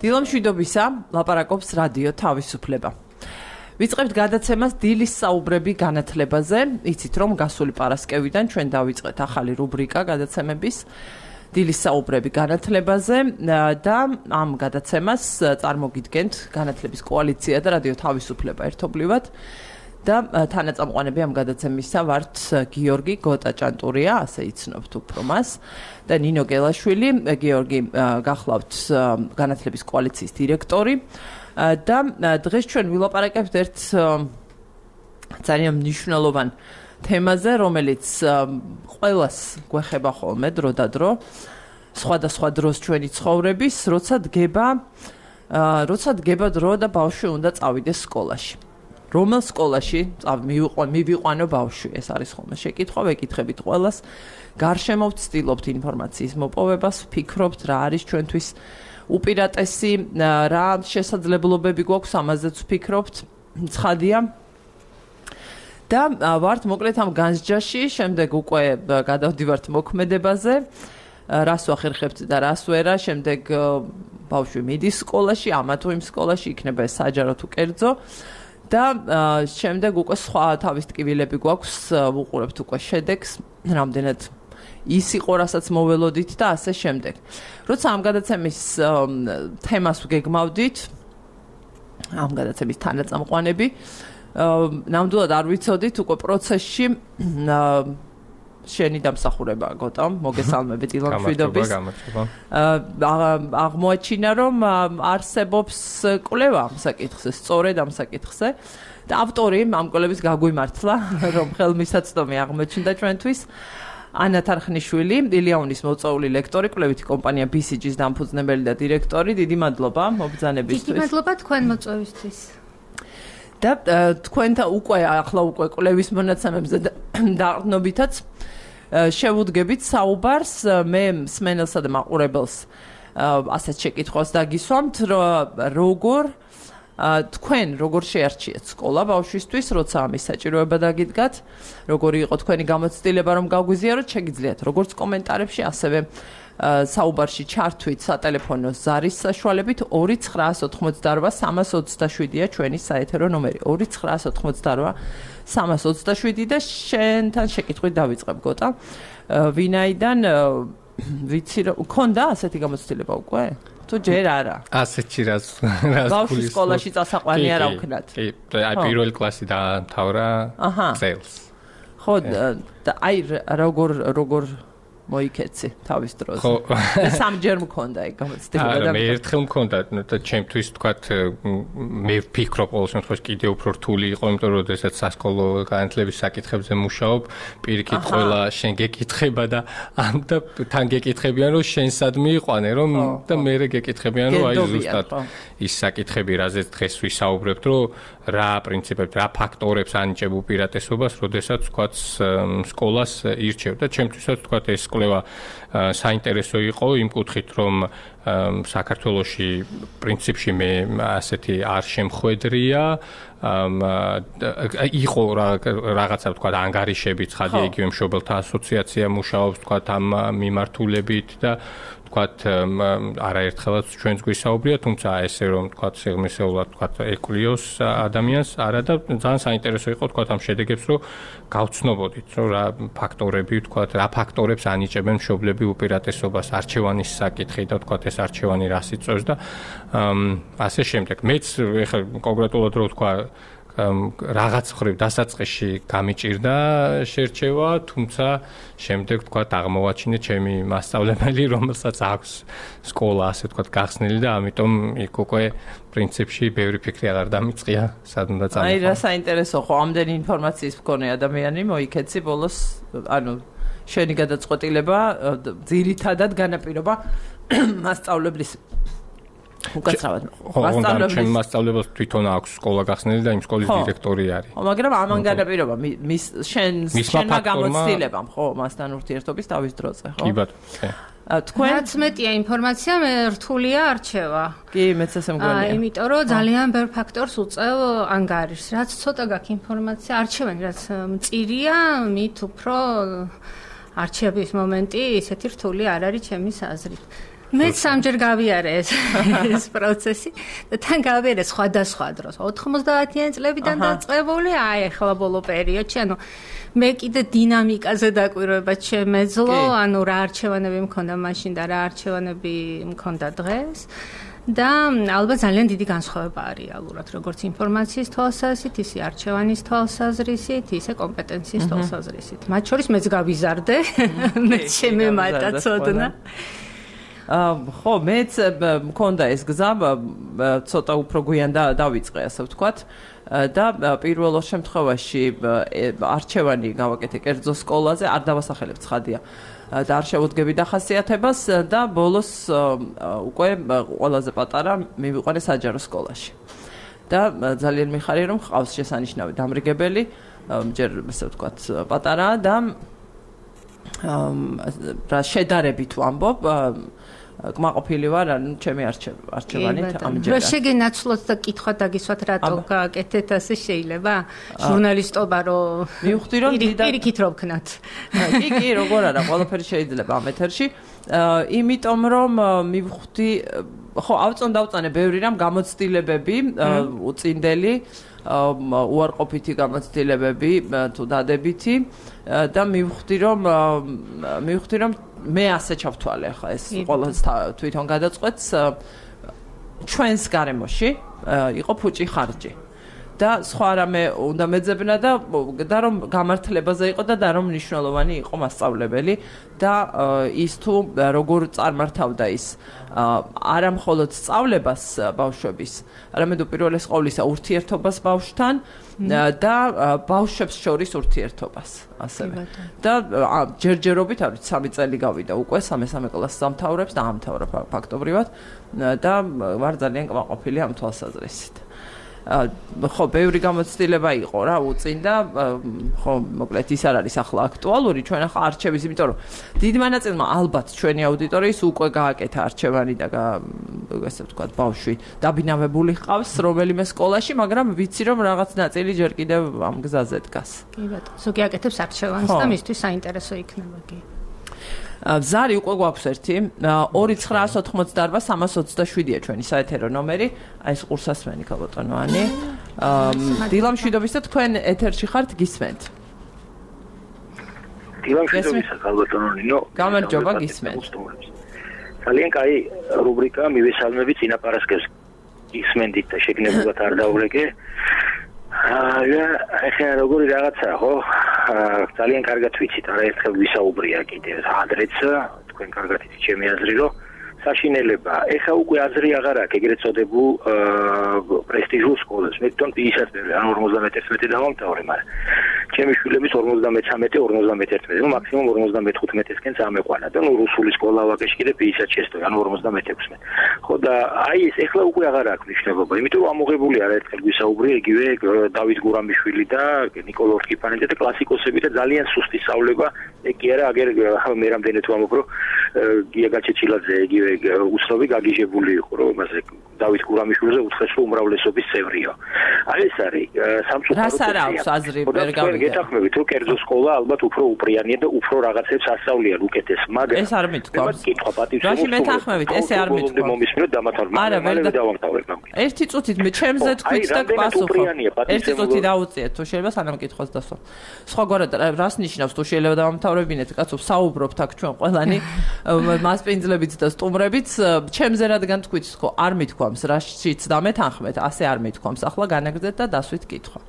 დილამშვიდობისა, ლაპარაკობს რადიო თავისუფლება. ვიწყებთ გადაცემას დილის საუბრები განათლებაზე. იცით რომ გასული პარასკევიდან ჩვენ დავიწყეთ ახალი რუბრიკა გადაცემების დილის საუბრები განათლებაზე და ამ გადაცემას წარმოგიდგენთ განათლების კოალიცია და რადიო თავისუფლება ერთობლივად. და თანაწამყვანები ამ გადაცემისა ვართ გიორგი გოტაჭანტურია, ასე იცნობთ უფრო მას და ნინო გელაშვილი. გიორგი გახლავთ განათლების კოალიციის დირექტორი და დღეს ჩვენ ვილაპარაკებთ ერთ ძალიან მნიშვნელოვან თემაზე, რომელიც ყველას გვეხება ხოლმე დრო და დრო, სხვადასხვა დროს ჩვენი ცხოვრების, როცა დგება დრო და ბავშვი უნდა წავიდეს სკოლაში. რომელ სკოლაში მივიყვანო ბავშვი, ეს არის ხოლმე შეკითხვა, ვეკითხებით ყველას. გარშემო ვცდილობთ ინფორმაციის მოპოვებას, ვფიქრობთ რა არის ჩვენთვის უპირატესი, რა შესაძლებლობები გვაქვს, ამაზეც ვფიქრობთ, ცხადია. და ვართ მოკლედ ამ განსჯაში, შემდეგ უკვე გადავდივართ მოქმედებაზე, რას ვახერხებთ და რას ვერა, შემდეგ ბავშვი მიდის სკოლაში, ამა თუ იმ სკოლაში, იქნება ეს საჯარო თუ კერძო. და შემდეგ უკვე სხვა თავის ტკივილები გვაქვს, ვუყურებთ უკვე შედეგს, რამდენად ის იყო, რასაც მოველოდით და ასე შემდეგ. როცა ამ გადაცემის თემას ვგეგმავდით, ამ გადაცემის თანაწამყვანები, ნამდვილად არ ვიცოდით უკვე პროცესში შენი დამსახურება გოტა, მოგესალმებით დილამშვიდობის. აღმოაჩინა რომ არსებობს კვლევა ამ საკითხზე, სწორედ ამ საკითხზე და ავტორი ამ კვლევის გაგვიმართლა, რომ ხელმისაწვდომი აღმოჩნდა ჩვენთვის. ანა თარხნიშვილი, ილიანის მოწვეული ლექტორი, კვლევითი კომპანია BCG-ის დამფუძნებელი და დირექტორი. დიდი მადლობა მობრძანებისთვის. დიდი მადლობა თქვენ მოწვევისთვის. და თქვენთან ახლა უკვე კვლევის მონაცემებზე დაყრდნობითაც შევუდგებით საუბარს, მე მსმენელსა და მაყურებელს ასეთ შეკითხვას დაგისვამთ, თქვენ როგორ შეარჩიეთ სკოლა ბავშვისთვის, როცა ამის საჭიროება დაგიდგათ, როგორი იყო თქვენი გამოცდილება რომ გაგვიზიაროთ, შეგიძლიათ როგორც კომენტარებში, ასევე საუბარში ჩართვით სატელეფონო ზარის საშუალებით 2988327-ია ჩვენი საეთერო ნომერი 2988327 და შენთან შეკითხვით დავიწყებ გოტა. ვინაიდან ვიცი რომ ქონდა ასეთი გამოცდილება უკვე? თუ ჯერ არა. ასეთი რაც ბავშვი სკოლაში წასაყვანი არა ვქნათ. კი, აი პირველი კლასი დაამთავრა წელს. ხო, და აი როგორ მოიქეცი თავის დროზე. სამჯერ მქონდა ეგ გამოცდილება და მე ერთხელ მქონდა და ჩემთვის თქვათ მე ვფიქრობ ყოველ შემთხვევაში კიდე უფრო რთული იყო, იმიტომ რომ შესაძ სასკოლო განათლების საკითხებზე მუშაობ, პირიქით ყველა შენ გეკითხება და თან გეკითხებიან რომ შენ სად მიიყვანე რომ და მე გეკითხებიან რომ აი ზუსტად ის საკითხები, რაზეც დღეს ვისაუბრებთ, რომ რა პრინციპებს, რა ფაქტორებს ანიჭებ უპირატესობას, როდესაც თქვათ სკოლას ირჩევ და ჩემთვისაც თქვათ ეს კვლევა საინტერესო იყო იმ კუთხით, რომ საქართველოში პრინციპში მე ასეთი არ შემხვედრია, იყო რაღაცა თქვათ ანგარიშები, ცხადია იგივე მშობელთა ასოციაცია მუშაობს თქვათ ამ მიმართულებით და თქვათ არაერთხელაც ჩვენს გვისაუბრია, თუმცა ესე რომ თქვათ სიღრმისეულად თქვათ ეკვლიოს ადამიანს არა და ძალიან საინტერესო იყო თქვათ ამ შედეგებს რომ გავცნობოდით, რომ რა ფაქტორები თქვათ, რა ფაქტორებს ანიჭებენ მშობლები უპირატესობას, არჩევანის საკითხი და თქვათ ეს არჩევანი რას იწვევს და ასე შემდეგ. მეც ეხლა კონკრეტულად რო თქვა რაღაც ხრივ დასაწყისში გამიჭირდა შერჩევა, თუმცა შემდეგ თქვათ აღმოვაჩინე ჩემი მასწავლებელი, რომელსაც აქვს სკოლა ასე თქვათ გახსნილი და ამიტომ იქ უკვე პრინციპში ბევრი ფიქრი აღარ დამიწყია, სად უნდა წამოყვანო. აი რა საინტერესო ხო, ამდენი ინფორმაციის მქონე ადამიანი მოიქეცი ბოლოს, ანუ შენი გადაწყვეტილება ძირითადად განაპირობა მასწავლებლის უკაცრავად. ჩემ მასწავლებელს თვითონ აქვს სკოლა გახსნილი და იმ სკოლის დირექტორი არის. ხო, მაგრამ ამან განაპირობა შენმა გამოცდილებამ, ხო, მასთან ურთიერთობის თავის დროზე, ხო? კი ბატონო. თქვენ რაც მეტია ინფორმაცია, მე რთულია არჩევა. კი, მეც ასე მგონია. იმიტომ რომ ძალიან ბევრ ფაქტორს უწევ ანგარიშს. რაც ცოტა გაქვს ინფორმაცია, არჩევანი რაც მწირია, მით უფრო არჩევის მომენტი ისეთი რთული არ არის ჩემის აზრით. მე სამჯერ გავიარე ეს პროცესი და თან გავიარე სხვადასხვა დროს 90-იანი წლებიდან დაწყებული აი ახლა ბოლო პერიოდში ანუ მე კიდე დინამიკაზე დაკვირვება შემეძლო ანუ რა არჩევანები მქონდა მაშინ და რა არჩევანები მქონდა დღეს და ალბათ ძალიან დიდი განსხვავება არის რეალურად როგორც ინფორმაციის თვალსაზრისით ისე არჩევანის თვალსაზრისით ისე კომპეტენციის თვალსაზრისით მათ შორის მეც გავიზარდე მე შემემატა ცოდნა ხო მეც მქონდა ეს გზა ცოტა უფრო გვიან დავიწყე ასე ვთქვათ და პირველ შემთხვევაში არჩევანი გავაკეთე კერძო სკოლაზე არ დავასახელებ ცხადია და არ შევუდგები დახასიათებას და ბოლოს უკვე ყველაზე პატარა მივიყვანე საჯარო სკოლაში და ძალიან მიხარია რომ ხავს შესანიშნავი დამრიგებელი ჯერ ასე ვთქვათ პატარაა და რა შედარებით ვამბობ კმაყოფილი ვარ ანუ ჩემი არჩევანით ამჯერად. რა შეგენაცვლოთ და კითხვა დაგისვათ რატო გააკეთეთ ასე შეიძლება? ჟურნალისტობა რომ მივხვდი რომ პირიქით რო ვქნათ. კი, როგორ არა, ყველაფერი შეიძლება ამ ეთერში. იმიტომ რომ მივხვდი ხო დავწანე ბევრი რამ გამოცდილებები უწინდელი უარყოფითი გამოცდილებები თუ დადებითი და მივხვდი რომ მე ასე ჩავთვალე ახლა ეს ყოველს თვითონ გადაწყვეტს ჩვენს გარემოში იყო ფუჭი ხარჯი და სხვა რამე უნდა მეძებნა და რომ გამართლებაზე იყო და რომ მნიშვნელოვანი იყო მასწავლებელი და ის თუ როგორ წარმართავდა ის არა მხოლოდ სწავლებას ბავშვების, არამედ უპირველეს ყოვლისა ურთიერთობას ბავშვთან და ბავშვებს შორის ურთიერთობას ასევე. და ჯერჯერობით არის 3 წელი გავიდა უკვე 3 კლასს დამთავრებს და ამთავრა ფაქტობრივად და ვარ ძალიან კმაყოფილი ამ თვალსაზრისით. ხო, ბევრი გამოცდილება იყო რა, უწინდა, ხო, მოკლედ ის არ არის ახლა აქტუალური, ჩვენ ახლა არჩევის, იმიტომ რომ დიდ მონაწილეობა ალბათ ჩვენი აუდიტორიის უკვე გააკეთა არჩევანი და ასე ვთქვათ, ბავშვი დაბინავებული ჰყავს რომელიმე სკოლაში, მაგრამ ვიცი რომ რაღაც ნაწილი ჯერ კიდევ ამ გზაზე დგას. კი ბატონო, ზოგი აკეთებს არჩევანს და მისთვის საინტერესო იქნება კი. ზარი უკვე გვაქვს ერთი 2988-327-ია ჩვენი საეთერო ნომერი აი ეს ყურსასმენი ქალბატონოანი დილამშვიდობის და თქვენ ეთერში ხართ გისმენთ დილამშვიდობისა ქალბატონო გამარჯობა გისმენთ ძალიან კაი რუბრიკა მივესალმებით წინაპარასკევს გისმენთ და შეგნებულად არ დავრეკე ახლა როგორი რაღაცაა ხო ძალიან კარგად ვიცით არაერთხელ ვისაუბრია კიდევ ადრეც თქვენ კარგად იცით ჩემი აზრი რომ საშინელება ეხა უკვე აზრი აღარ აქვს ეგრეთ წოდებულ პრესტიჟულ სკოლებს მე თვითონ პირისად ან 51 დავამთავრე მაგრამ ჩემი შვილების 53-51 ნუ მაქსიმუმ 55-15-ისკენ წამეყვანა და ნუ რუსული სკოლა ვაკეში კიდე პირისად შეესწორე ან 56 ხო და აი ეს ეხლა უკვე აღარ აქვს მნიშვნელობა იმიტომ რომ ამოღებული არაერთხელ ვისაუბრე იგივე დავით გურამიშვილი და ნიკოლოზ ორკიპანიძე და კლასიკოსები და ძალიან სუსტი სწავლება ეგ კი არა აგერ მე რამდენად ვამბობ რომ გია გაჩეჩილაძე იგივე უცნობი გაგიჟებული იყო რომ მასე დავით გურამიშვილზე უთხრესო უმრავლესობის წევრიო აი ეს არის სამწუხარო რას არ აქვს აზრი ვერ გავიგე გეთახმებით რომ კერძო სკოლა ალბათ უფრო უპრიანია და უფრო რაღაცებს ასწავლიან უკეთეს მაგრამ ეს არ მithქვავს კითხვა პატივს რაში მეთახმებით ესე არ მithქვავს მომისმინოთ დამთავრდა მაგრამ დავამთავრებ ერთი წუთით მე ჩემზე თქვით და გპასუხო ერთი წუთი დაუწიეთ თუ შეიძლება სანამ კითხვას დასვა სხვაგვარად რას ნიშნავს თუ შეიძლება დავამთავრებინეთ კაცო საუბრობთ აქ ჩვენ ყველანი მასპინძლებით და სტუმრებით ჩემზე რადგან თქვით ხო არ მithქვამს რაშიც დამეთანხმეთ ასე არ მithქვამს ახლა განაგრძეთ და დასვით კითხვა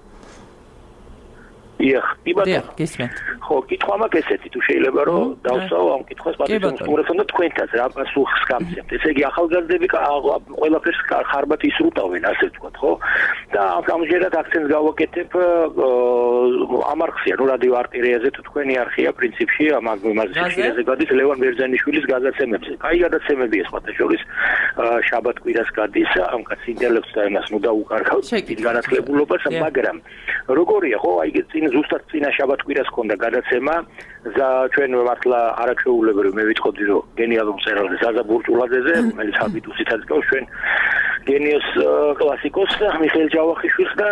დიახ, გისმენთ. ხო, კითხვა მაქვს ესეთი, თუ შეიძლება რომ დავსვავ ამ კითხვას პატივს სტუმრებთან და თქვენთაც რა პასუხს გამცემთ. ესე იგი ახალგაზრდები ყველაფერს ხარბად ისრუტავენ, ასე ვთქვათ, ხო? და ამჟერად აქცენტს გავაკეთებ ამ არხზე, ნუ რადიო არტილერიაზე თუ თქვენი არხია პრინციპში ამ მაგაზინზე გადის ლევან ბერძენიშვილის გადაცემებზე. კაი გადაცემებია სხვათა შორის შაბათ-კვირას გადის ამ კაც ინტელექტს და იმას ნუ დაუკარგავთ დიდ განათლებულობას, მაგრამ როგორია ხო, აი წინ ზუსტად წინა შაბათ-კვირას ქონდა გადაცემა ჩვენ მართლა არაჩვეულებრივ მე ვიტყოდი რომ გენიალურ მწერალზე ზაზა ბურჭულაძეზე რომელიც ჰაბიტუსითაც გავს ჩვენ გენიოს კლასიკოს მიხეილ ჯავახიშვილს და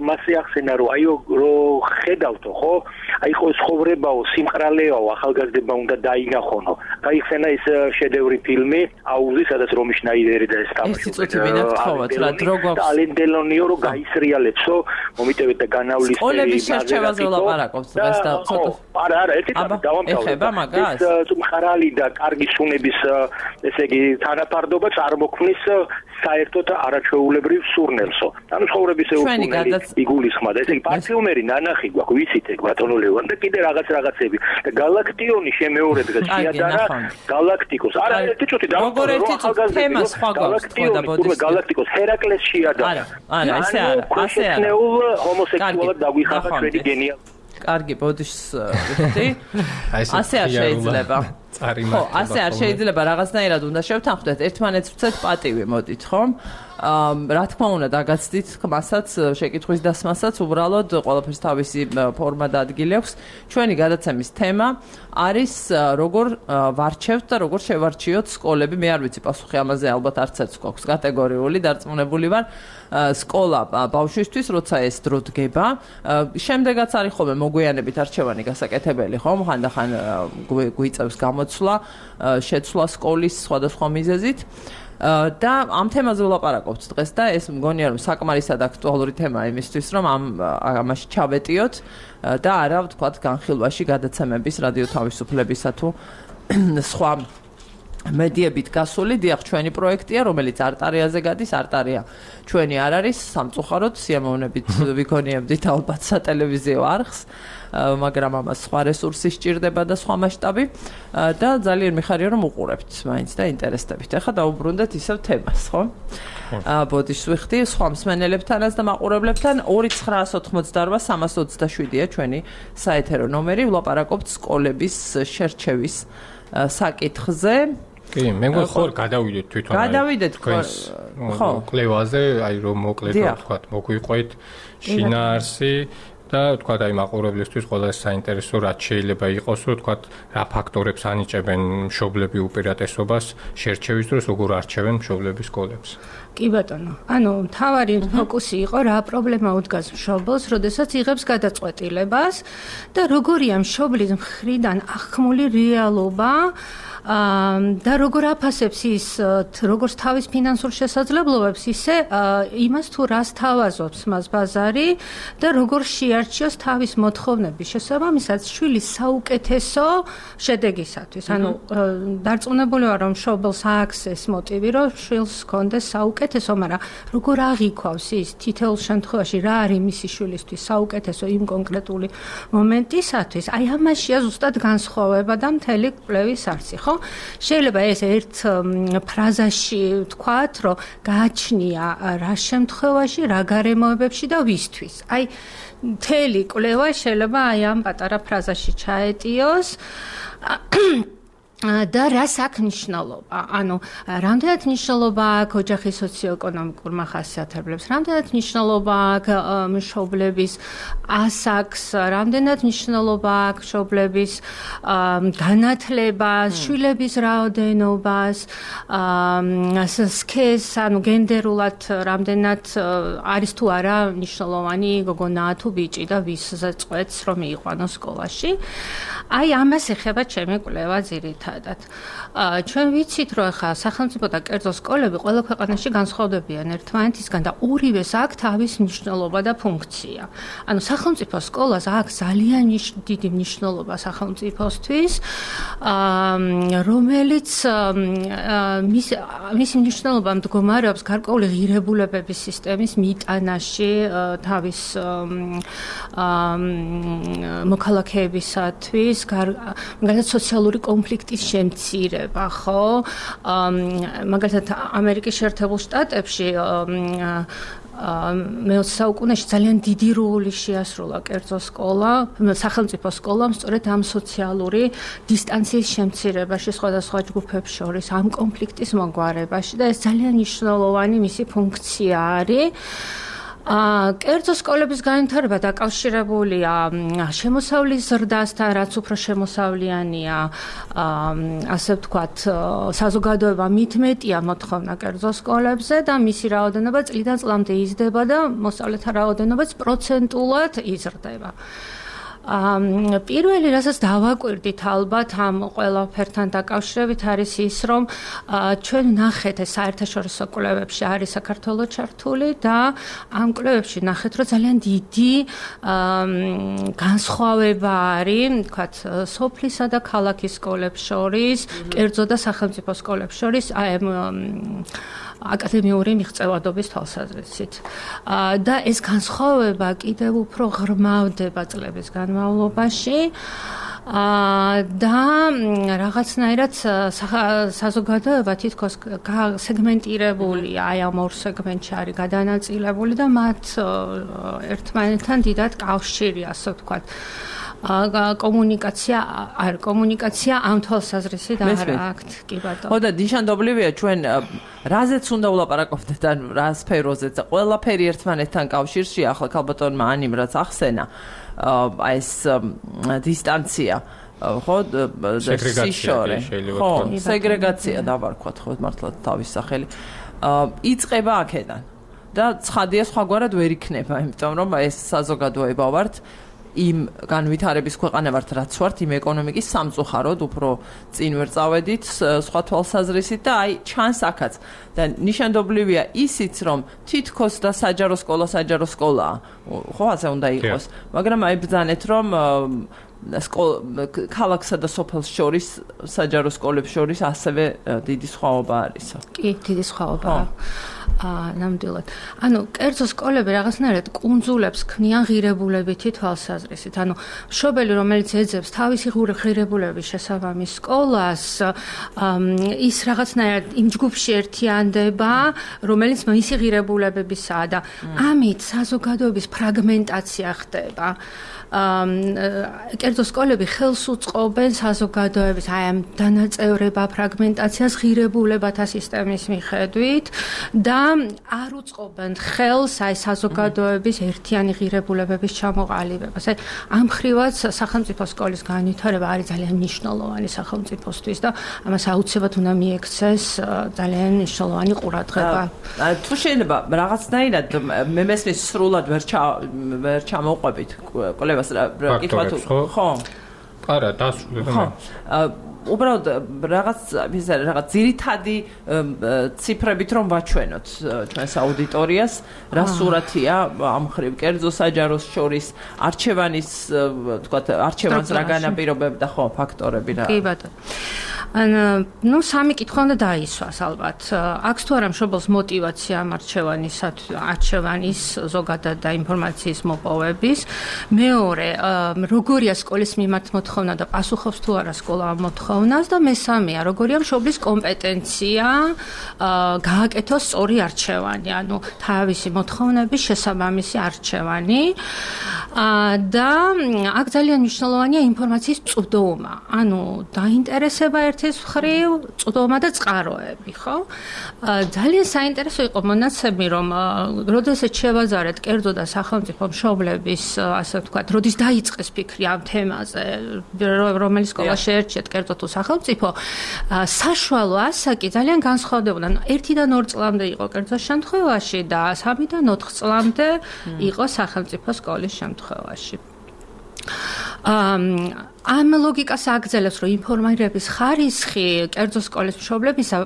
მასე ახსენა რომ აი რო ხედავთო ხო აი ხო ცხოვრებაო სიმყრალეაო ახალგაზრდება უნდა დაინახონო გაიხსენა ის შედევრი ფილმი აუზი სადაც რომი შნაიდერი და ეს თამაშობს ალენ დელონიო რო გაისრიალեցო მომიტევეთ და განავლისწრები სკოლების შერჩევაზე ვლაპარაკობთ დღეს და არა ერთი დავამთავრე მყარალი და კარგი სუნების ესე იგი თანაფარდობა წარმოქმნის საერთოდ არაჩვეულებრივ სურნელსო ანუ ცხოვრების ეუფუნელი იგულისხმადა ესე იგი პარფიუმერი ნანახი გვაქვს ვიცით ეგ ბატონო ლევან და კიდე რაღაცები და გალაქტიონი შემეორებ და შეადარა გალაქტიკოს არა ერთი წუთი დავამთავრე თემა სხვა გვაქვს გალაქტიკოს ჰერაკლეს შეადარა არა ესე არა ასე არა ჰომოსექსუალად დაგვიხახა ჩვენი გენია კარგი ბოდიშს ვიხდი ასე არ შეიძლება ხო ასე არ შეიძლება რაღაცნაირად უნდა შევთანხმდეთ ერთმანეთს ვცეთ პატივი მოდით ხო რა თქმა უნდა დაგაცდით ხმასაც შეკითხვის დასმასაც უბრალოდ ყველაფერს თავისი ფორმა და ადგილი აქვს ჩვენი გადაცემის თემა არის როგორ ვარჩევთ და როგორ შევარჩიოთ სკოლები მე არ ვიცი პასუხი ამაზე ალბათ არც ერთს გვაქვს კატეგორიული დარწმუნებული ვარ სკოლა ბავშვისთვის როცა ეს დრო დგება შემდეგაც არის ხოლმე მოგვიანებით არჩევანი გასაკეთებელი ხო ხანდახან გვიწევს გამოცვლა შეცვლა სკოლის სხვადასხვა მიზეზით და ამ თემაზე ვლაპარაკობთ დღეს და ეს მგონია რომ საკმარისად აქტუალური თემაა იმისთვის რომ ამაში ჩავეტიოთ და არა ვთქვათ განხილვაში გადაცემების რადიო თავისუფლებისა თუ სხვა მედიებით გასული დიახ ჩვენი პროექტია რომელიც არტარიაზე გადის არტარია ჩვენი არ არის სამწუხაროდ სიამოვნებით ვიქონიებდით ალბათ სატელევიზიო არხს მაგრამ ამას სხვა რესურსი სჭირდება და სხვა მასშტაბი და ძალიან მიხარია რომ უყურებთ მაინც და ინტერესდებით. ახლა დაუბრუნდეთ ისევ თემას, ხო? ბოდიშს ვიხდი სხვა მსმენელებთანაც და მაყურებლებთან 2988-327-ია ჩვენი საეთერო ნომერი. ვლაპარაკობთ სკოლების შერჩევის საკითხზე. კი, მე მგონი გადავიდეთ თვითონ. გადავიდეთ ხო, კლევაზე, აი რომ მოკლედ ვთქვათ, მოგვიყვეთ შინაარსი და თქვა და იმ აყურებლისთვის ყველაზე საინტერესო რაც შეიძლება იყოს, რომ თქვა რა ფაქტორებს ანიჭებენ მშობლები უპირატესობას შერჩევის დროს, როგორ არჩევენ მშობლების სკოლებს. კი ბატონო. ანუ მთავარი ფოკუსი იყო რა პრობლემა უდგას მშობელს, როდესაც იღებს გადაწყვეტილებას და როგორია მშობლის მხრიდან ახმული რეალობა და როგორ აფასებს ის როგორც თავის ფინანსურ შესაძლებლობებს, ისე იმას თუ რას თავაზობს მას ბაზარი და როგორ შეარჩიოს თავის მოთხოვნების შესაბამისად შვილის საუკეთესო შედეგისათვის. ანუ დარწმუნებული ვარ, რომ მშობელს აქვს ეს მოტივი, რომ შვილს ჰქონდეს საუკეთესო, მაგრამ როგორ აღიქვავს ის თითოეულ შემთხვევაში რა არის მისი შვილისთვის საუკეთესო იმ კონკრეტული მომენტისათვის, აი ამაშია ზუსტად განსხვავება და მთელი კვლევის არცი, ხო? შეიძლება ეს ერთ ფრაზაში ვთქვათ, რომ გააჩნია რა შემთხვევაში, რა გარემოებებში და ვისთვის. აი მთელი კვლევა შეიძლება აი ამ პატარა ფრაზაში ჩაეტიოს. და რას აქვს მნიშვნელობა? ანუ რამდენად მნიშვნელობა აქვს ოჯახის სოციოეკონომიკურ მახასიათებლებს, რამდენად მნიშვნელობა აქვს მშობლების ასაკს, რამდენად მნიშვნელობა აქვს მშობლების განათლებას, შვილების რაოდენობას, სქესს, ანუ გენდერულად რამდენად არის თუ არა მნიშვნელოვანი გოგონა თუ ბიჭი და ვისზე წყვეტს რომ მიიყვანოს სკოლაში. აი ამას ეხება ჩემი კვლევა ძირითადად. ჩვენ ვიცით, რომ ახლა სახელმწიფო და კერძო სკოლები ყველა ქვეყანაში განსხვავდებიან ერთმანეთისგან და ორივეს აქვს თავის მნიშვნელობა და ფუნქცია. ანუ სახელმწიფო სკოლას აქვს ძალიან დიდი მნიშვნელობა სახელმწიფოსთვის, რომელიც მისი მნიშვნელობა მდგომარეობს გარკვეული ღირებულებების სისტემის მიტანაში თავის მოქალაქეებისათვის, მაგალითად სოციალური კონფლიქტის შემცირება, ხო? მაგალითად ამერიკის შეერთებულ შტატებში მე-20 საუკუნეში ძალიან დიდი როლი შეასრულა კერძო სკოლა, სახელმწიფო სკოლამ სწორედ ამ სოციალური დისტანციის შემცირებაში სხვადასხვა ჯგუფებს შორის, ამ კონფლიქტის მოგვარებაში და ეს ძალიან მნიშვნელოვანი მისი ფუნქცია არის. კერძო სკოლების განვითარება დაკავშირებულია შემოსავლის ზრდასთან, რაც უფრო შემოსავლიანია, ასე ვთქვათ, საზოგადოება მitmეტია მოთხოვნა კერძო სკოლებზე და მისი რაოდენობა წლიდან წლამდე იზრდება და მოსწავლეთა რაოდენობაც პროცენტულად იზრდება. პირველი რასაც დავაკვირდით ალბათ ამ ყველაფერთან დაკავშირებით არის ის, რომ ჩვენ ნახეთ ეს საერთაშორისო კვლევებში არის საქართველოს ჩართული და ამ კვლევებში ნახეთ, რომ ძალიან დიდი განსხვავება არის, თქვათ, სოფლისა და ქალაქის სკოლებს შორის, კერძო და სახელმწიფო სკოლებს შორის, აკადემიური მიღწევადობის თვალსაზრისით. და ეს განსხვავება კიდევ უფრო ღრმავდება წლების განმავლობაში და რაღაცნაირად საზოგადოება თითქოს სეგმენტირებულია, აი ამ ორ სეგმენტში არის გადანაწილებული და მათ ერთმანეთთან დიდად კავშირი, ასე ვთქვათ. კომუნიკაცია ამ თვალსაზრისით არ აქვთ, კი ბატონო. ხო და ნიშანდობლივია ჩვენ რაზეც უნდა ვლაპარაკობდეთ ან რა სფეროზეც, ყველაფერი ერთმანეთთან კავშირშია, ახლა ქალბატონმა ანიმ რაც ახსენა, აი ეს დისტანცია, ხო, სიშორე, ხო, სეგრეგაცია დავარქვათ, ხო, მართლაც თავის სახელი. იწყება აქედან და ცხადია სხვაგვარად ვერ იქნება, იმიტომ რომ ეს საზოგადოება ვართ იმ განვითარების ქვეყანა ვართ, რაც ვართ, იმ ეკონომიკის სამწუხაროდ უფრო წინ ვერ წავედით სხვა თვალსაზრისით და აი ჩანს აქაც და ნიშანდობლივია ისიც, რომ თითქოს და საჯარო სკოლაა, ხო, ასე უნდა იყოს, მაგრამ აი ბრძანეთ, რომ ქალაქსა და სოფელს შორის, საჯარო სკოლებს შორის ასევე დიდი სხვაობა არისო. კი, დიდი სხვაობაა. ნამდვილად. ანუ კერძო სკოლები რაღაცნაირად კუნძულებს ქმნიან ღირებულებითი თვალსაზრისით. ანუ მშობელი, რომელიც ეძებს თავისი ღირებულების შესაბამის სკოლას, ის რაღაცნაირად იმ ჯგუფში ერთიანდება, რომელიც მისი ღირებულებებისაა და ამით საზოგადოების ფრაგმენტაცია ხდება. კერძო სკოლები ხელს უწყობენ საზოგადოების აი ამ დანაწევრება ფრაგმენტაციას ღირებულებათა სისტემის მიხედვით და არ უწყობენ ხელს აი საზოგადოების ერთიანი ღირებულებების ჩამოყალიბებას. აი ამ მხრივაც სახელმწიფო სკოლის განვითარება არის ძალიან მნიშვნელოვანი სახელმწიფოსთვის და ამას აუცილებლად უნდა მიექცეს ძალიან მნიშვნელოვანი ყურადღება. თუ შეიძლება რაღაცნაირად მე მესმის სრულად ვერ ჩამოვყვებით კვლევას კითხვა თუ ხო? არა, დასრულდა. ხო. უბრალოდ რაღაც ძირითადი ციფრებით რომ ვაჩვენოთ ჩვენს აუდიტორიას, რა სურათია ამ მხრივ კერძო საჯაროს შორის არჩევანის, თქვათ, არჩევანს რა განაპირობებდა, ხო, ფაქტორები რა. კი ბატონო. ნუ სამი კითხვა უნდა დაისვას ალბათ. აქვს თუ არა მშობელს мотиваცია არჩევანის ზოგადად და ინფორმაციის მოპოვების. მეორე, როგორია სკოლის მიმართ მოთხოვნა და პასუხობს თუ არა სკოლა ამ მოთხოვნას და მესამეა, როგორია მშობლის კომპეტენცია გააკეთოს სწორი არჩევანი, ანუ თავისი მოთხოვნების შესაბამისი არჩევანი. და აქ ძალიან მნიშვნელოვანია ინფორმაციის წვდომა, ანუ დაინტერესება ერთის მხრივ, წვდომა და წყაროები, ხო? ძალიან საინტერესო იყო მონაცემი, რომ როდესაც შევაზარეთ კერძო და სახელმწიფო მშობლების, ასე ვთქვათ, როდის დაიწყეს ფიქრი ამ თემაზე, რომელი სკოლა შეერჩიათ კერძო თუ სახელმწიფო, საშუალო ასაკი ძალიან განსხვავდებოდა. 1-დან 2 წლამდე იყო კერძოს შემთხვევაში და 3-დან 4 წლამდე იყო სახელმწიფო სკოლის შემთხვევაში. ამ ლოგიკას აგრძელებს, რომ ინფორმირების ხარისხი კერძო სკოლის მშობლებისა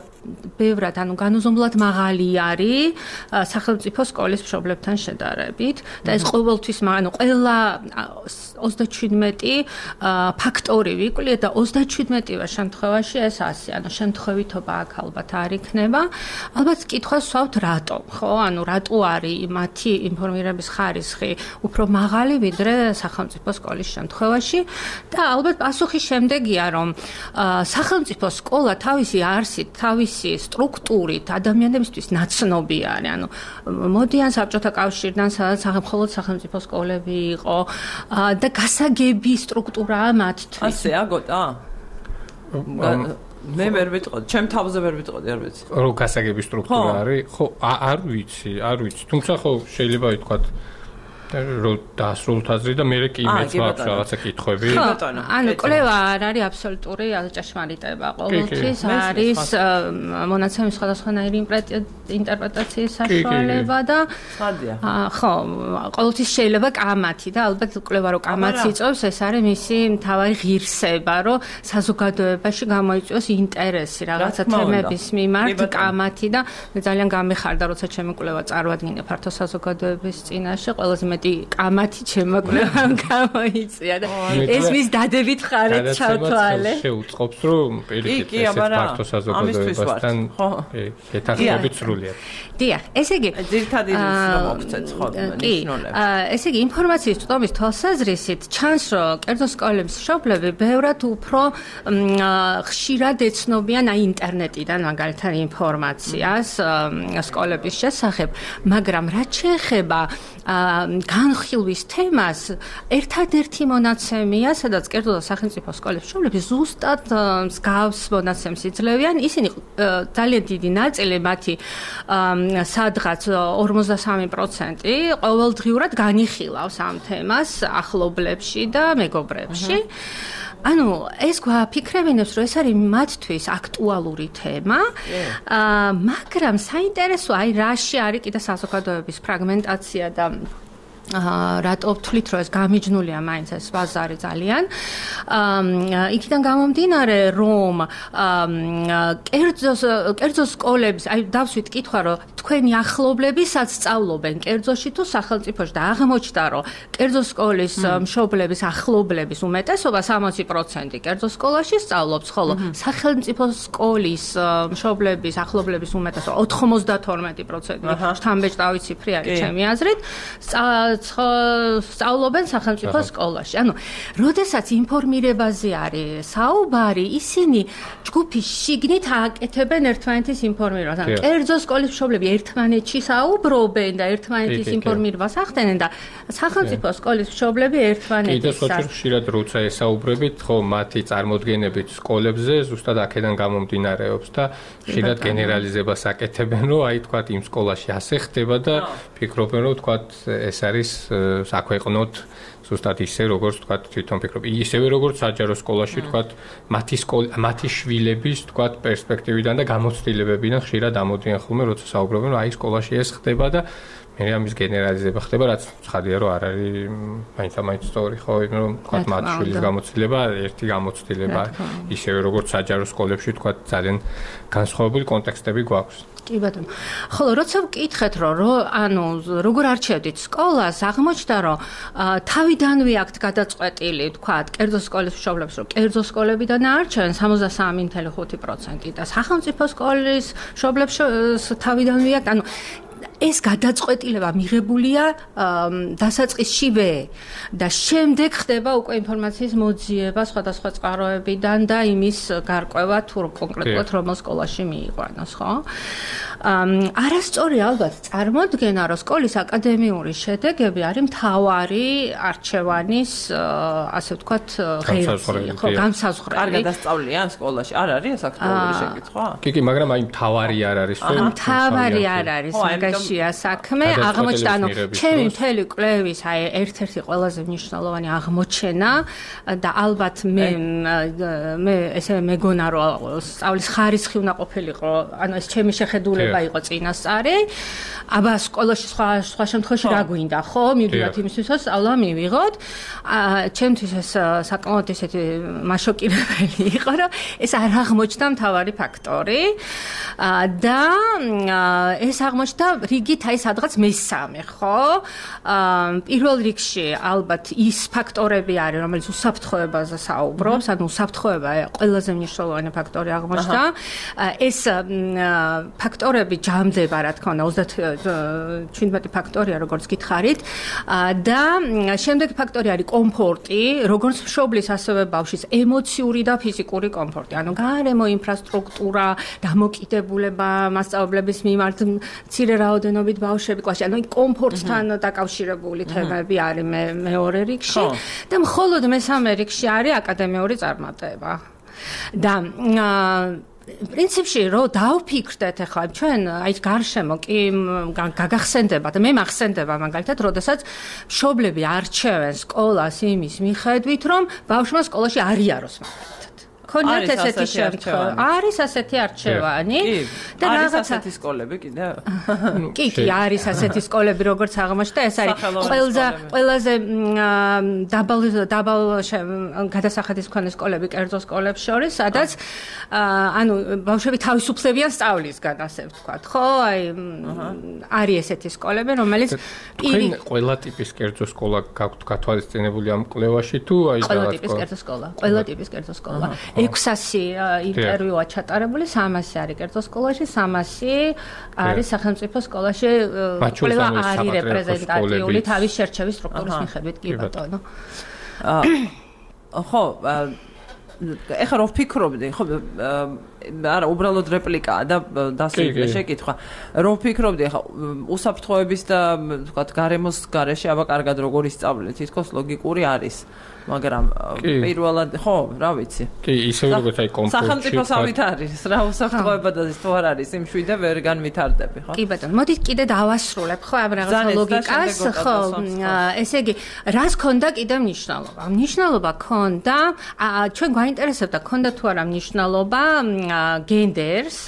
ბევრად, ანუ განუზომლად მაღალი არის სახელმწიფო სკოლის მშობლებთან შედარებით და ეს ყოველთვის, ანუ ყველა 37 ფაქტორი ვიკვლიეთ და 37-ვე შემთხვევაში ეს ასე, ანუ შემთხვევითობა აქ ალბათ არ იქნება. ალბათ კითხვას ვსვავთ რატომ, ხო? ანუ რატო არის მათი ინფორმირების ხარისხი უფრო მაღალი ვიდრე სახელმწიფო სკოლის შემთხვევაში და ალბათ პასუხი შემდეგია, რომ სახელმწიფო სკოლა თავისი არსით, თავისი სტრუქტურით ადამიანებისთვის ნაცნობი არის. ანუ მოდიან საბჭოთა კავშირიდან, სადაც მხოლოდ სახელმწიფო სკოლები იყო და გასაგები სტრუქტურაა მათთვის. ასეა გოტა? მე ვერ ვიტყოდი, ჩემ თავზე ვერ ვიტყოდი, არ ვიცი. რო გასაგები სტრუქტურა არის? ხო, არ ვიცი. თუმცა ხო შეიძლება ითქვათ რო დასრულთ აზრი და მე კი მეც მაქვს რაღაცა კითხვები. ანუ კვლევა არ არის აბსოლუტური ჭეშმარიტება. ყოველთვის არის მონაცემის სხვადასხვანაირი ინტერპრეტაციის საშუალება და ხო, ყოველთვის შეიძლება კამათი და ალბათ კვლევა რო კამათს იწვევს, ეს არის მისი მთავარი ღირსება, რომ საზოგადოებაში გამოიწვიოს ინტერესი რაღაცა თემების მიმართ კამათი და მე ძალიან გამეხარდა, როცა ჩემი კვლევა წარვადგინე ფართო საზოგადოების წინაშე, ყველაზე კამათი ჩემმა კვლევამ გამოიწვია და ეს მის დადებით ხარით ჩავთვალე. შეუწყობს რომ პირიქით ეს ფართო საზოგადოებასთან ეთახმებით სრულიად. დიახ, ესე იგი ძირითადი მოგცეთ ხო ნიშნულება. ესე იგი ინფორმაციის წვდომის თვალსაზრისით ჩანს რომ კერძო სკოლების მშობლები ბევრად უფრო ხშირად ეცნობიან ინტერნეტიდან მაგალითად ინფორმაციას სკოლების შესახებ, მაგრამ რაც შეეხება განხილვის თემას ერთადერთი მონაცემია, სადაც კერძო და სახელმწიფო სკოლების მშობლები ზუსტად მსგავს მონაცემს იძლევიან. ისინი ძალიან დიდი ნაწილი მათი სადღაც 53% ყოველდღიურად განიხილავს ამ თემას ახლობლებში და მეგობრებში. ანუ ეს გვაფიქრებინებს, რომ ეს არის მათთვის აქტუალური თემა, მაგრამ საინტერესო აი რაში არის კიდე საზოგადოების ფრაგმენტაცია და რატო ვთვლით, რომ ეს გამიჯნულია მაინც ეს ბაზარი ძალიან. იქიდან გამომდინარე, რომ კერძო სკოლების, აი დავსვით კითხვა, რომ თქვენი ახლობლები სად სწავლობენ კერძოში თუ სახელმწიფოში და აღმოჩნდა, რომ კერძო სკოლის მშობლების ახლობლების უმეტესობა 60% კერძო სკოლაში სწავლობს, ხოლო სახელმწიფო სკოლის მშობლების ახლობლების უმეტესობა 92%. შთამბეჭდავი ციფრი არის ჩემი აზრით. სწავლობენ სახელმწიფო სკოლაში. ანუ, როდესაც ინფორმირებაზე არის საუბარი, ისინი ჯგუფის შიგნით აკეთებენ ერთმანეთის ინფორმირებას. ანუ, კერძო სკოლის მშობლები ერთმანეთში საუბრობენ და ერთმანეთის ინფორმირებას ახდენენ და სახელმწიფო სკოლის მშობლები ერთმანეთის. კიდევ სხვა ხშირად როცა ესაუბრებით, ხო, მათი წარმოდგენებით სკოლებზე ზუსტად აქედან გამომდინარეობს და ხშირად გენერალიზებას აკეთებენ, რომ აი თქვა იმ სკოლაში ასე ხდება და ფიქრობენ, რომ თქვა ეს არის საქვეყნოთ ზუსტად ისე როგორც თქვა თვითონ ფიქრობ. ისევე როგორც საჯარო სკოლაში თქვა მათი შვილების თქვა პერსპექტივიდან და გამოცდილებებიდან ხშირად ამოდიან ხოლმე როცა საუბრობენ რომ აი სკოლაში ეს ხდება და მე ამის გენერალიზება ხდება რაც ცხადია რომ არ არის მაინც სწორი ხო რომ თქვა მათი შვილის გამოცდილება ერთი გამოცდილება ისევე როგორც საჯარო სკოლებში თქვა ძალიან განსხვავებული კონტექსტები გვაქვს. კი ბატონო. ხოლო როცა ვკითხეთ რომ ანუ როგორ არჩევდით სკოლას, აღმოჩნდა რომ თავიდანვე აქვთ გადაწყვეტილი თქვა კერძო სკოლის მშობლებს რომ კერძო სკოლებიდან არჩევენ 63.5% და სახელმწიფო სკოლის მშობლებს თავიდანვე აქვთ ანუ ეს გადაწყვეტილება მიღებულია დასაწყისშივე და შემდეგ ხდება უკვე ინფორმაციის მოძიება სხვადასხვა წყაროებიდან და იმის გარკვევა თუ კონკრეტულად რომელ სკოლაში მიიყვანოს, ხო? არასწორი ალბათ წარმოდგენა, რომ სკოლის აკადემიური შედეგები არის მთავარი არჩევანის, ასე ვთქვათ, ღერძი, ხო, განსაზღვრელი. კარგად ასწავლიან სკოლაში? არ არის ეს აქტუალური შეკითხვა? კი, მაგრამ აი მთავარი არ არის, ხო? მთავარი არ არის, მაგაშია საქმე. აღმოჩნდა, ანუ ჩემი მთელი კვლევის აი ერთ-ერთი ყველაზე მნიშვნელოვანი აღმოჩენა და ალბათ მე ესე მეგონა რომ სწავლის ხარისხი უნდა ყოფილიყო, ანუ ეს ჩემი შეხედულება იყო წინასწარი. აბა სკოლაში სხვა შემთხვევაში რა გვინდა, ხო? მივიდათ იმისთვის, რომ სწავლა მივიღოთ. ჩემთვის ეს საკმაოდ ესეთი მაშოკირებელი იყო, რომ ეს არ აღმოჩნდა მთავარი ფაქტორი და ეს აღმოჩნდა რიგით აი სადღაც მესამე, ხო? პირველ რიგში ალბათ ის ფაქტორები არის, რომელიც უსაფრთხოებაზე საუბრობს, ანუ უსაფრთხოება ყველაზე მნიშვნელოვანი ფაქტორი აღმოჩნდა. ეს ფაქტორები ჯამდება, რა თქმა უნდა, 37 ფაქტორია, როგორც გითხარით. და შემდეგი ფაქტორი არის კომფორტი, როგორც მშობლის, ასევე ბავშვის ემოციური და ფიზიკური კომფორტი. ანუ გარემო ინფრასტრუქტურა, დამოკიდებულება მასწავლებლების მიმართ, მცირე რაოდენობით ბავშვები კლასში, ანუ კომფორტთან დაკავშირებული თემები არის მეორე რიგში და მხოლოდ მესამე რიგში არის აკადემიური წარმატება. და პრინციპში რო დავფიქრდეთ ახლა ჩვენ აი გარშემო კი გაგახსენდება და მე მახსენდება მაგალითად როდესაც მშობლები არჩევენ სკოლას იმის მიხედვით რომ ბავშვმა სკოლაში არ იაროს მაგალითად ქონიათ ესეთი შემთხვევა არის ასეთი არჩევანი და რაღაცა ასეთი სკოლები კიდე კი არის ასეთი სკოლები როგორც აღმოჩნდა ეს არის ყველაზე დაბალ გადასახადის მქონე სკოლები კერძო სკოლებს შორის სადაც ანუ ბავშვები თავისუფლებიან სწავლისგან ასე ვთქვათ ხო აი არის ესეთი სკოლები რომელიც ყველა ტიპის კერძო სკოლა გაქვთ გათვალისწინებული ამ კვლევაში თუ აი ყველა ტიპის კერძო სკოლა 600 ინტერვიუა ჩატარებული 300 არის კერძო სკოლაში 300 არის სახელმწიფო სკოლაში კვლევა არის რეპრეზენტატიული თავის შერჩევის სტრუქტურის მიხედვით კი ბატონო ხო ეხლა რო ვფიქრობდი ხო არა უბრალოდ რეპლიკაა და დასვიდე შეკითხვა რო ვფიქრობდი ახლა უსაფრთხოების და ვთქვათ გარემოს გარეშე აბა კარგად როგორ ისწავლეთ თითქოს ლოგიკური არის მაგრამ პირველად ხო რა ვიცი კი ისე როგორც აი კომფორტში სახელმწიფოსავით არის რა უსაფრთხოება და თუ არ არის იმ შვიდე ვერ განვითარდები ხო კი ბატონო მოდით კიდე დავასრულებ ხო ამ რაღაცა ლოგიკას ხო ესე იგი რას ქონდა კიდე მნიშვნელობა ქონდა ჩვენ გვაინტერესებდა ქონდა თუ არა მნიშვნელობა გენდერს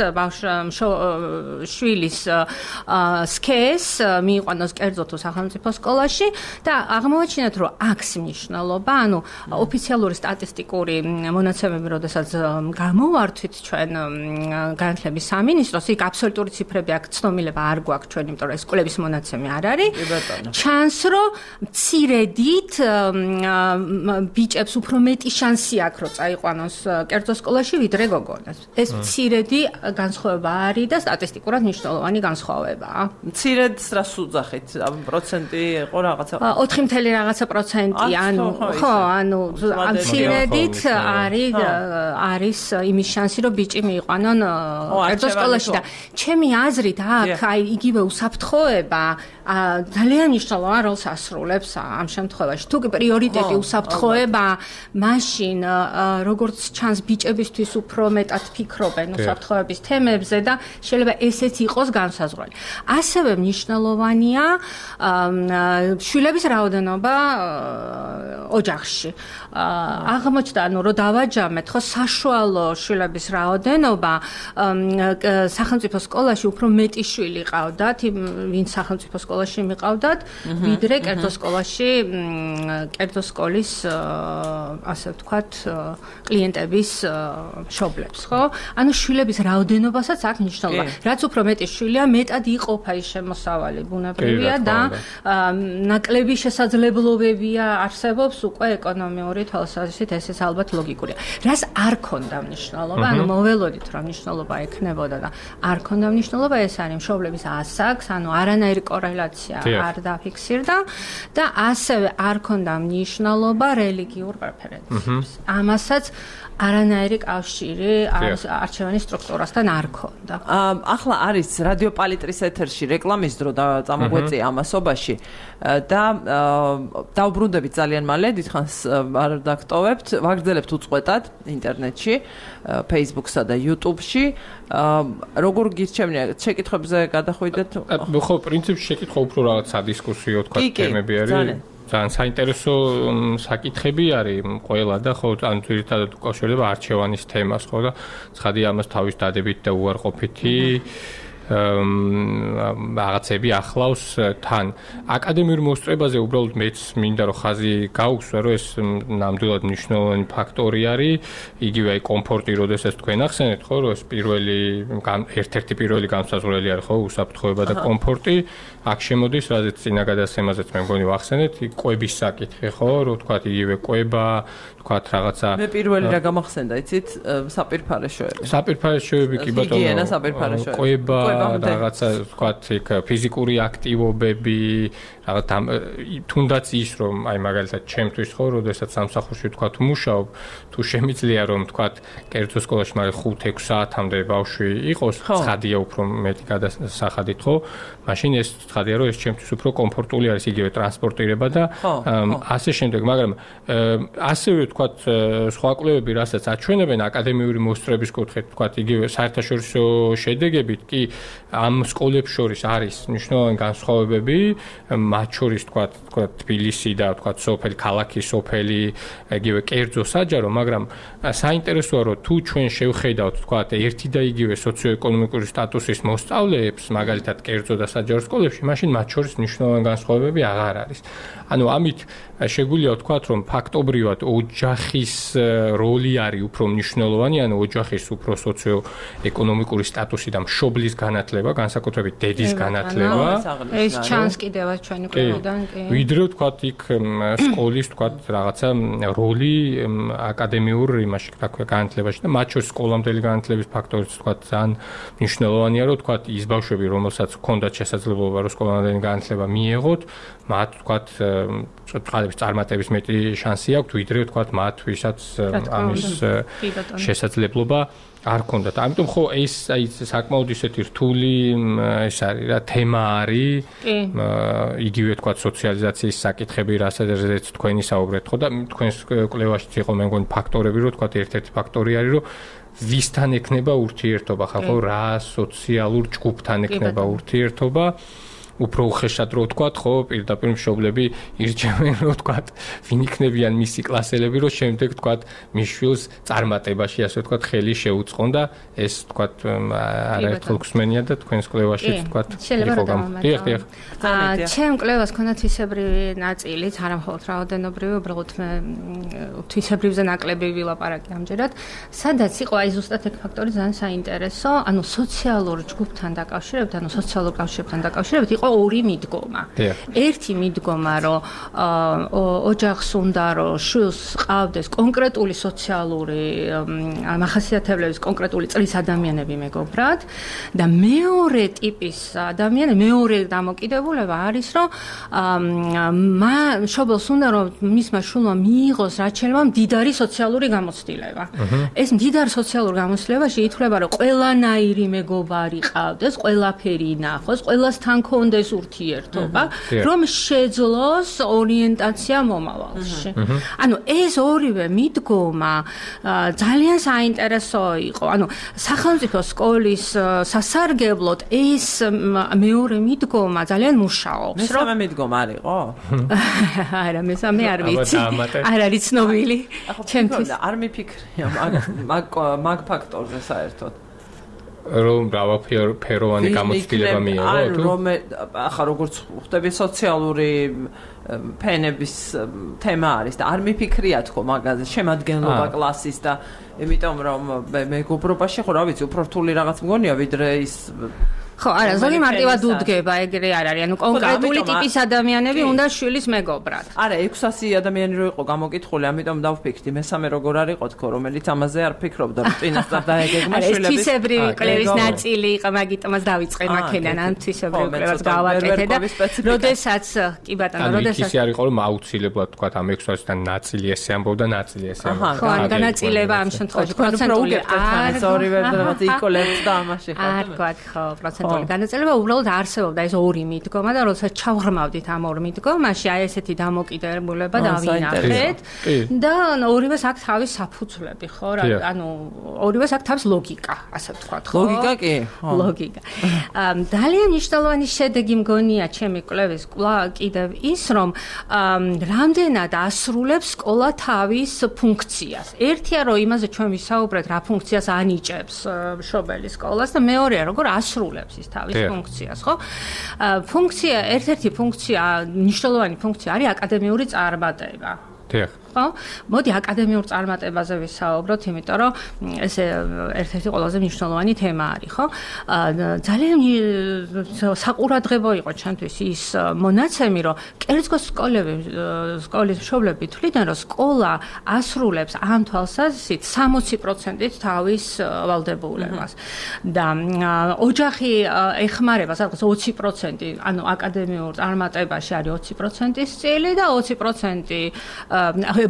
შვილის სქეს მიიყვანოს კერძო თუ სახელმწიფო სკოლაში და აღმოაჩინეთ რომ აქვს მნიშვნელობა ანუ ოფიციალური სტატისტიკური მონაცემები როდესაც გამოვართვით ჩვენ განათლების სამინისტროს იქ აბსოლუტური ციფრები აქ ცნობილება არ გვაქვს ჩვენ იმიტომ რომ ეს სკოლების მონაცემი არ არის ჩანს რომ მცირედით ბიჭებს უფრო მეტი შანსი აქვს რომ წაიყვანოს კერძო სკოლაში ვიდრე გოგონას ეს მცირედი განსხვავება არის და სტატისტიკურად მნიშვნელოვანი განსხვავებაა მცირედს რას უძახით პროცენტი იყო რაღაცა 4 რაღაცა პროცენტი ანუ ხო ანუ მცირედით არის იმის შანსი რომ ბიჭი მიიყვანონ კერძო სკოლაში და ჩემი აზრით აქ აი იგივე უსაფრთხოება ძალიან მნიშვნელოვან როლს ასრულებს ამ შემთხვევაში თუ კი პრიორიტეტი უსაფრთხოება მაშინ როგორც ჩანს ბიჭებისთვის უფრო მეტად ფიქრობენ უსაფრთხოების თემებზე და შეიძლება ესეც იყოს განსაზღვრელი ასევე მნიშვნელოვანია შვილების რაოდენობა ოჯახში აღმოჩნდა ანუ რომ დავაჯამეთ ხო საშუალო შვილების რაოდენობა სახელმწიფო სკოლაში უფრო მეტი შვილი ყავდათ ვინც სახელმწიფო სკოლაში მიყავდათ ვიდრე კერძო სკოლაში კერძო სკოლის ასე ვთქვათ კლიენტების მშობლებს ხო ანუ შვილების რაოდენობასაც აქ მნიშვნელობა რაც უფრო მეტი შვილია მეტად იყოფა ის შემოსავალი ბუნებრივია და ნაკლები შესაძლებლობებია არსებობს უკვე ეკონომიური თვალსაზრისით ესეც ალბათ ლოგიკურია რას არ ქონდა მნიშვნელობა ანუ მოველოდით რომ მნიშვნელობა ექნებოდა და არ ქონდა მნიშვნელობა ეს არის მშობლების ასაკს ანუ არანაირი კორელაცია არ დაფიქსირდა და ასევე არ ქონდა მნიშვნელობა რელიგიურ პრეფერენციებს ამასაც არანაირი კავშირი არჩევანის სტრუქტურასთან არ ქონდა. ახლა არის რადიო პალიტრის ეთერში რეკლამის დრო და წამოგვეწია ამასობაში და დავბრუნდებით ძალიან მალე, დიდხანს არ დაგტოვებთ, ვაგრძელებთ უწყვეტად ინტერნეტში, Facebook-სა და YouTube-ში. როგორ გირჩევნია შეკითხვებზე გადახვიდეთ? ხო, პრინციპში შეკითხვა უფრო რაღაც სადისკუსიო თქვა თემები არის. ძალიან საინტერესო საკითხები არის ყველა და ხო ან ძირითადად უკავშირდება არჩევანის თემას ხო და ცხადია ამას თავის დადებით და უარყოფითი რაღაცები ახლავს თან აკადემიურ მოსწრებაზე უბრალოდ მეც მინდა რომ ხაზი გაუხსნა რომ ეს ნამდვილად მნიშვნელოვანი ფაქტორი არის იგივე აი კომფორტი როდესაც თქვენ ახსენეთ ხო რომ ეს ერთ-ერთი პირველი განსაზღვრელი არის ხო უსაფრთხოება და კომფორტი აქ შემოდის რაზეც წინა გადაცემაზეც მე მგონი ვახსენეთ ყვების საკითხი ხო რომ თქვა იგივე ყვება თქვა რაღაცა მე პირველი რა გამახსენდა იცით საპირფარეშოები კი ბატონო ჰიგიენა საპირფარეშოები ყვება რაღაცა ვთქვათ, იქ ფიზიკური აქტივობები, რაღაც თუნდაც ის რომ აი მაგალითად ჩემთვის ხო, როდესაც სამსახურში ვთქვათ მუშაობ, თუ შემიძლია რომ ვთქვათ, კერძო სკოლაში მაგრამ 5-6 საათამდე ბავშვი იყოს, ცხადია უფრო მეტი გადასახადით ხო? მაშინ ეს ცხადია რომ ეს ჩემთვის უფრო კომფორტული არის იგივე ტრანსპორტირება და ასე შემდეგ, მაგრამ ასევე ვთქვათ, სხვა კვლევები რასაც აჩვენებენ აკადემიური მოსწრების კუთხით, ვთქვათ, იგივე საერთაშორისო შედეგებით კი ამ სკოლებს შორის არის მნიშვნელოვანი განსხვავებები, მათ შორის ვთქვათ, თბილისი და ვთქვათ, სოფელი, ქალაქი, სოფელი, იგივე კერძო საჯარო, მაგრამ საინტერესოა რომ თუ ჩვენ შევხედავთ, ვთქვათ, ერთი და იგივე სოციოეკონომიკური სტატუსის მოსწავლეებს, მაგალითად, კერძო და საჯარო სკოლებში, მაშინ მათ შორის მნიშვნელოვანი განსხვავებები აღარ არის. ანუ ამით შეგვიძლია ვთქვათ, რომ ფაქტობრივად ოჯახის როლი არის უფრო მნიშვნელოვანი, ანუ ოჯახის უფრო სოციოეკონომიკური სტატუსი და მშობლის განათლება, განსაკუთრებით დედის განათლება. ეს ჩანს კიდევაც ჩვენი კვლევიდან, კი. ვიდრე ვთქვათ, იქ სკოლის ვთქვათ, რაღაცა როლი აკადემიურ იმაში, რა ქვია, განათლებაში და მათ შორის სკოლამდელი განათლების ფაქტორიც ვთქვათ, ძალიან მნიშვნელოვანია, რომ ვთქვათ, ის ბავშვები, რომელსაც ჰქონდათ შესაძლებლობა, რომ სკოლამდელი განათლება მიეღოთ, მათ ვთქვათ, წყალების წარმატების მეტი შანსი აქვთ, ვიდრე ვთქვათ, მათ ვისაც ამის შესაძლებლობა არ ქონდათ. ამიტომ ხო ეს აი საკმაოდ ისეთი რთული ეს არის რა თემა არის. იგივე თქვა სოციალიზაციის საკითხები, რასაც თქვენი საუბრეთ ხო და თქვენს კვლევაშიც იყო მე მგონი ფაქტორები, რომ თქვა ერთ-ერთი ფაქტორი არის, რომ ვისთან ექნება ურთიერთობა, ხო რა სოციალურ ჯგუფთან ექნება ურთიერთობა. უფრო უხეშად რო ვთქვათ, ხო, პირდაპირ მშობლები ირჩევენ, რო ვთქვათ, ვინ იქნებიან მისი კლასელები, რომ შემდეგ ვთქვათ, მის შვილს წარმატებაში, ასე ვთქვათ, ხელი შეუწყონ და ეს ვთქვათ, არაერთხელ გვსმენია და თქვენს კვლევაში ვთქვათ, იყო გამოდიახ. ჩემ კვლევას ქონდა თვისებრივი ნაწილიც, არა მხოლოდ რაოდენობრივი, უბრალოდ მე თვისებრივზე ნაკლები ვილაპარაკე ამჯერად, სადაც იყო აი ზუსტად ეგ ფაქტორი ძალიან საინტერესო, ანუ სოციალურ ჯგუფთან დაკავშირებით, ანუ სოციალურ კავშირებთან დაკავშირებით იყო ორი მიდგომა. ერთი მიდგომა, რომ ოჯახს უნდა რომ შვილს ყავდეს კონკრეტული სოციალური მახასიათებლების კონკრეტული წრის ადამიანები მეგობრად და მეორე ტიპის ადამიანი, მეორე დამოკიდებულება არის, რომ მშობელს უნდა რომ მისმა შვილმა მიიღოს რაც შეიძლება მდიდარი სოციალური გამოცდილება. ეს მდიდარ სოციალურ გამოცდილებაში ითვლება, რომ ყველანაირი მეგობარი ყავდეს, ყველაფერი ნახოს, ყველასთან კონდეს ურთიერთობა, რომ შეძლოს ორიენტაცია მომავალში. ანუ ეს ორივე მიდგომა ძალიან საინტერესო იყო. ანუ სახელმწიფო სკოლის სასარგებლოდ ეს მეორე მიდგომა ძალიან მუშაობს. მესამე მიდგომა არ იყო? არა, მესამე არ ვიცი. არ არის ცნობილი. ჩემთვის არ მიფიქრია მაგ ფაქტორზე საერთოდ. რომ მრავალფეროვანი გამოცდილება მიიღო თუ ახლა როგორც ხვდები სოციალური ფენების თემა არის და არ მიფიქრია თქო მაგაზე შემადგენლობა კლასის და იმიტომ რომ მეგობრობაში ხო რა ვიცი უფრო რთული რაღაც მგონია ვიდრე ის ხო, არა, ზოგი მარტივად უდგება, ეგრე არ არის. ანუ კონკრეტული ტიპის ადამიანები უნდა შვილის მეგობრად. არა, 600 ადამიანი რო იყო გამოკითხული, ამიტომ დავფიქრდი, მესამე როგორ არ იყო თქო, რომელიც ამაზე არ ფიქრობდა, რომ წინასწარ დაეგეგმა შვილების. ეს თვისებრივი კვლევის ნაწილი იყო, მაგიტომაც დავიწყე მაქედან, ან თვისებრივი კვლევას გავაკეთე და როდესაც კი ბატონო, როდესაც ის არ იყო, რომ აუცილებლად თქვა ამ 600-დან ნაწილი ესე ამბობდა, ნაწილი ესე ამბობდა. ხო, ან განაწილება ამ შემთხვევაში პროცენტული არ ორივე რაღაც იკოლებს და ამაში ხო. არ თქვა, ხო, პროცენტული განაწილება უბრალოდ არსებობდა ეს ორი მიდგომა და როდესაც ჩავღრმავდით ამ ორ მიდგომაში, აი ესეთი დამოკიდებულება დავინახეთ და ორივეს აქვს თავის საფუძვლები, ხო? ანუ ორივეს აქვს თავის ლოგიკა, ასე ვთქვათ, ხო? ლოგიკა კი? ლოგიკა. ძალიან მნიშვნელოვანი შედეგი მგონია ჩემი კვლევის კიდევ ის, რომ რამდენად ასრულებს სკოლა თავის ფუნქციას. ერთია, რომ იმაზე ჩვენ ვისაუბრეთ, რა ფუნქციას ანიჭებს მშობელი სკოლას და მეორეა, როგორ ასრულებს თავის ფუნქციას, ხო? ფუნქცია, ერთ-ერთი ფუნქცია, მნიშვნელოვანი ფუნქცია არის აკადემიური წარმატება. ხო? მოდი აკადემიურ წარმატებაზე ვისაუბროთ, იმიტომ რომ ეს ერთ-ერთი ყველაზე მნიშვნელოვანი თემა არის, ხო? ძალიან საყურადღებო იყო ჩემთვის ის მონაცემი, რომ კერძო სკოლის მშობლები თვლიდნენ, რომ სკოლა ასრულებს ამ თვალსაზრისით 60%-ით თავის ვალდებულებას. და ოჯახი ეხმარება სადღაც 20%, ანუ აკადემიურ წარმატებაში არის 20%-ის წილი და 20%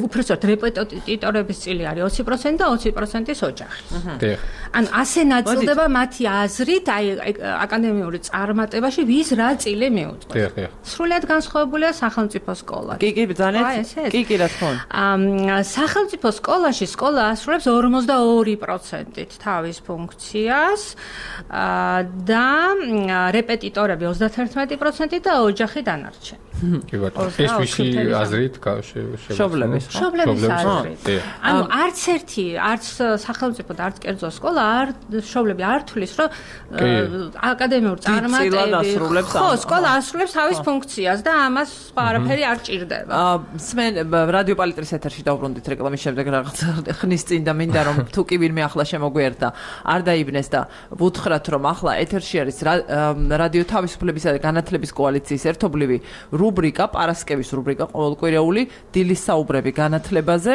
უბრალოდ რეპეტიტორების წილი არის 20% და 20%-ის ოჯახი. ანუ ასე ნაწილდება მათი აზრით, აი აკადემიური წარმატებაში ვის რა წილი მიუძღვის. სრულიად განსხვავებულია სახელმწიფო სკოლა. კი, ძალიან. კი, რა თქმა უნდა. სახელმწიფო სკოლაში სკოლა ასრულებს 42%-ით თავის ფუნქციას და რეპეტიტორები 31% და ოჯახი დანარჩენი. კი ბატონო. ეს ვისი აზრით მშობლების აზრით. ანუ არც სახელმწიფო და არც კერძო სკოლა მშობლები არ თulis, რომ აკადემიურ წარმატებებს ხო, სკოლა ასრულებს თავის ფუნქციას და ამას სხვა არაფერი არ ჭირდება. სმენ რადიო პალიტრის ეთერში დავბრუნდით რეკლამის შემდეგ რაღაც ხნის წინ და მინდა რომ თუ კი ვინმე ახლა შემოგვიერთა არ დაიბნეს და ვუთხრათ რომ ახლა ეთერში არის რადიო თავისუფლებისა და განათლების კოალიციის ერთობლივი რუბრიკა, პარასკევის რუბრიკა, ყოველკვირეული დილის საუბრები განათლებაზე.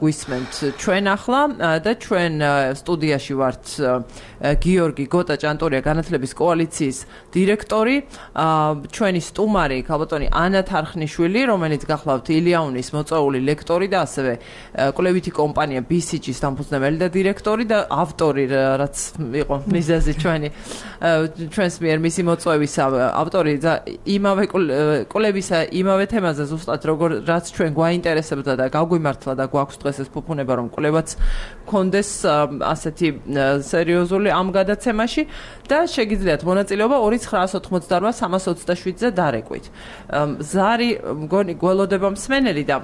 გვისმენთ ჩვენ ახლა და ჩვენ სტუდიაში ვართ გიორგი გოტა ჭანტურია, განათლების კოალიციის დირექტორი, ჩვენი სტუმარი ქალბატონი ანა თარხნიშვილი, რომელიც გახლავთ ილიაუნის მოწვეული ლექტორი და ასევე კვლევითი კომპანია BCG-ის დამფუძნებელი და დირექტორი და ავტორი, რაც იყო მიზეზი ჩვენს მიერ მისი მოწვევის ავტორი და იმავე კვლევისა იმავე თემაზე ზუსტად რაც ჩვენ გვაინტერესებდა და გაგვიმართლა და გვაქვს დღეს ეს ფუფუნება რომ კვლევაც გქონდეს ასეთი სერიოზული ამ გადაცემაში და შეგიძლიათ მონაწილეობა 2988-327-ზე დარეკვით. ზარი მგონი გველოდება მსმენელი და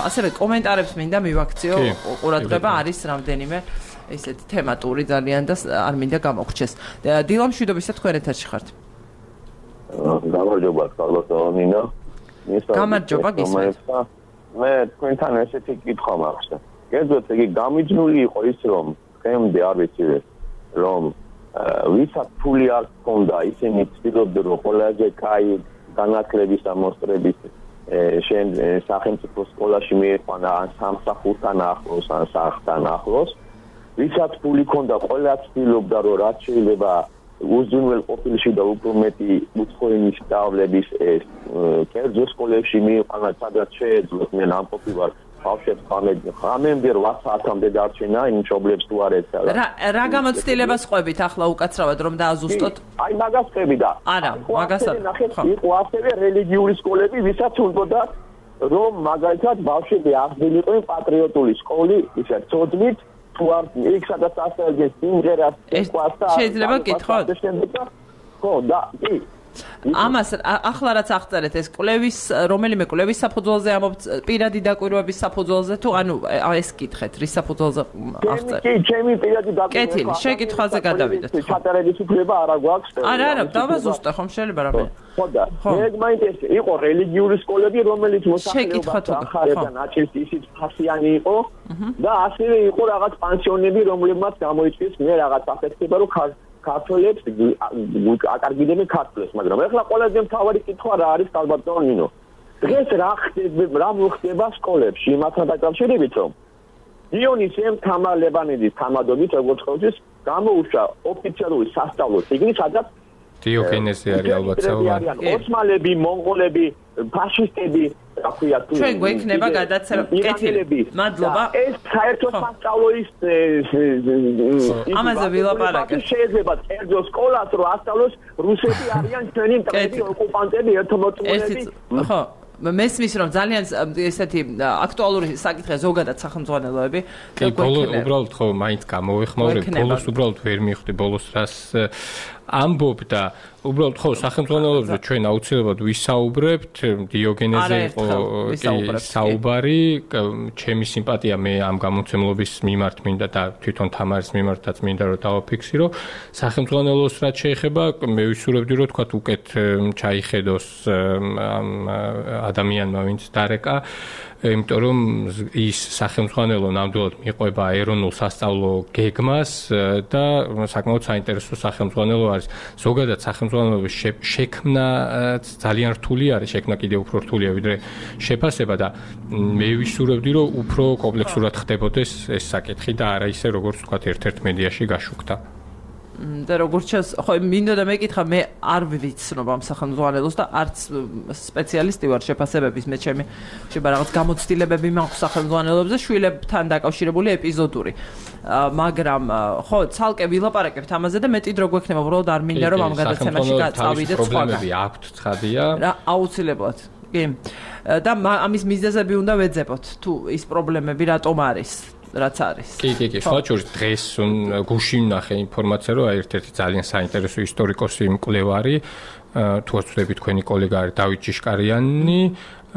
ასევე კომენტარებს მინდა მივაქციო, ყურადღება არის რამდენიმე ესეთი თემატური ძალიან და არ მინდა გამოგრჩეს. დილა მშვიდობისა, თქვენ ეთერში ხართ. გამარჯობა, ქალბატონინო. გამარჯობა, გისმენთ. მე თქვენთან ესეთი კითხვა მაქვს. კერძოდ იგი გამიჯნული იყო ის რომ დღემდე არ ვიცი რომ ვისაც ფული არ ჰქონდა, ისინი ცდილობდნენ რომ ყველაზე კაი განათლების ამოსტრების შენ სახელმწიფო სკოლაში მieყვანა ან სამსახურთან ახლოს ან სახლთან ახლოს. ვისაც ფული ჰქონდა, ყველა ცდილობდა რომ რაც შეიძლება უზრუნველ ყოფილში და უფრო მეტი უცხოენის სწავლების ეს კერძო სკოლებში მieყვანა, სადაც შეეძლოთ მე ნამყოფი ვარ ბავშვებს ხამემდე 8 საათამდე დარჩენა იმ მშობლებს თუ არ ეცალა. რა გამოცდილებას ყვებით ახლა უკაცრავად რომ დააზუსტოთ? აი მაგას ყვები და არა, მაგას არ. იყო ასევე რელიგიური სკოლები, ვისაც უნდა რომ მაგალითად ბავშვები აღდგენიყვნენ პატრიოტული სკოლი, ისე ცოდნით თუ არ იქ სადაც ასწავლეს სიმღერას, სიყვარს და შეიძლება გითხრათ? ხო, და კი ამას ახლა რაც აღწერეთ ეს კვლევის რომელიმე კვლევის საფუძველზე ამობთ პირადი დაკვირვების საფუძველზე თუ ანუ ეს კითხეთ რის საფუძველზე აღწერეთ? კი, ჩემი პირადი დაკვირვება. კეთილი, შეკითხვაზე გადავიდეთ. ჩატარების უფლება არა გვაქვს. არა, დავაზუსტე ხომ შეიძლება რამე. ხო და მე მაინტერესებს იყო რელიგიური სკოლები რომელიც მოსახლეობას ახარებდა ნაწილს ისიც ფასიანი იყო და ასევე იყო რაღაც პანსიონები რომლებმაც გამოიწვიეს მე რაღაც აფეთქება რომ ქართველებს აკარგიდნენ ქართველებს, მაგრამ ახლა ყველაზე მთავარი კითხვა რა არის ქალბატონინო? დღეს რა მოხდება სკოლებში იმასთან დაკავშირებით რომ დიონისემ თამარ ლებანიძის თამადობით როგორც ყოველთვის გამოუშვა ოფიციალური სასწავლო წიგნი, სადაც დიოგენეზი არის ალბათ საუბარი. ოსმალები, მონღოლები, ფაშისტები, რა ქვია თუ ჩვენ გვექნება გადაცემა. კეთილი. მადლობა. ეს საერთო სასწავლო ის ამაზე ვილაპარაკეთ. შეიძლება კერძო სკოლას რომ ასწავლოს რუსები არიან ჩვენი მტრები, ოკუპანტები, ერთმოწმულები. ხო. მესმის რომ ძალიან ესეთი აქტუალური საკითხია ზოგადად სახელმძღვანელოები. კი, უბრალოდ ხო მაინც გამოვეხმაურებ, ბოლოს უბრალოდ ვერ მივხვდი ბოლოს რას ამბობ და უბრალოდ ხო სახელმძღვანელოებზე ჩვენ აუცილებლად ვისაუბრებთ, დიოგენეზე იყო საუბარი, ჩემი სიმპათია მე ამ გამოცემლობის მიმართ მინდა და თვითონ თამარის მიმართაც მინდა რომ დავაფიქსირო. სახელმძღვანელოს რაც შეეხება, მე ვისურვებდი რომ თქვა უკეთ ჩაიხედოს ამ ადამიანმა ვინც დარეკა იმიტომ რომ ის სახელმძღვანელო ნამდვილად მიყვება ეროვნულ სასწავლო გეგმას და საკმაოდ საინტერესო სახელმძღვანელო არის. ზოგადად სახელმძღვანელოების შექმნა ძალიან რთული არის, შექმნა კიდევ უფრო რთულია ვიდრე შეფასება და მე ვისურვებდი რომ უფრო კომპლექსურად ხდებოდეს ეს საკითხი და არა ისე როგორც თქვა ერთ-ერთ მედიაში გაშუქდა. და როგორც ჩანს, ხო, მინდოდა მეკითხა, მე არ ვიცნობ ამ სახელმძღვანელოს და არც სპეციალისტი ვარ შეფასებების, მე ჩემი რაღაც გამოცდილებები მაქვს სახელმძღვანელოებზე, შვილებთან დაკავშირებული ეპიზოდური. მაგრამ ხო, ცალკე ვილაპარაკებთ ამაზე და მეტი დრო გვექნება, უბრალოდ არ მინდა რომ ამ გადაცემაში წავიდეთ სხვაგან. პრობლემები აქვთ, ცხადია. აუცილებლად. კი. და ამის მიზეზები უნდა ვეძებოთ, თუ ის პრობლემები რატომ არის. რაც არის. კი, სხვა შორის დღეს გუშინ ნახე ინფორმაცია, რომ ერთ-ერთი ძალიან საინტერესო ისტორიკოსი მკვლევარი, თუ არ ვცდები თქვენი კოლეგა არის დავით ჭიშკარიანი,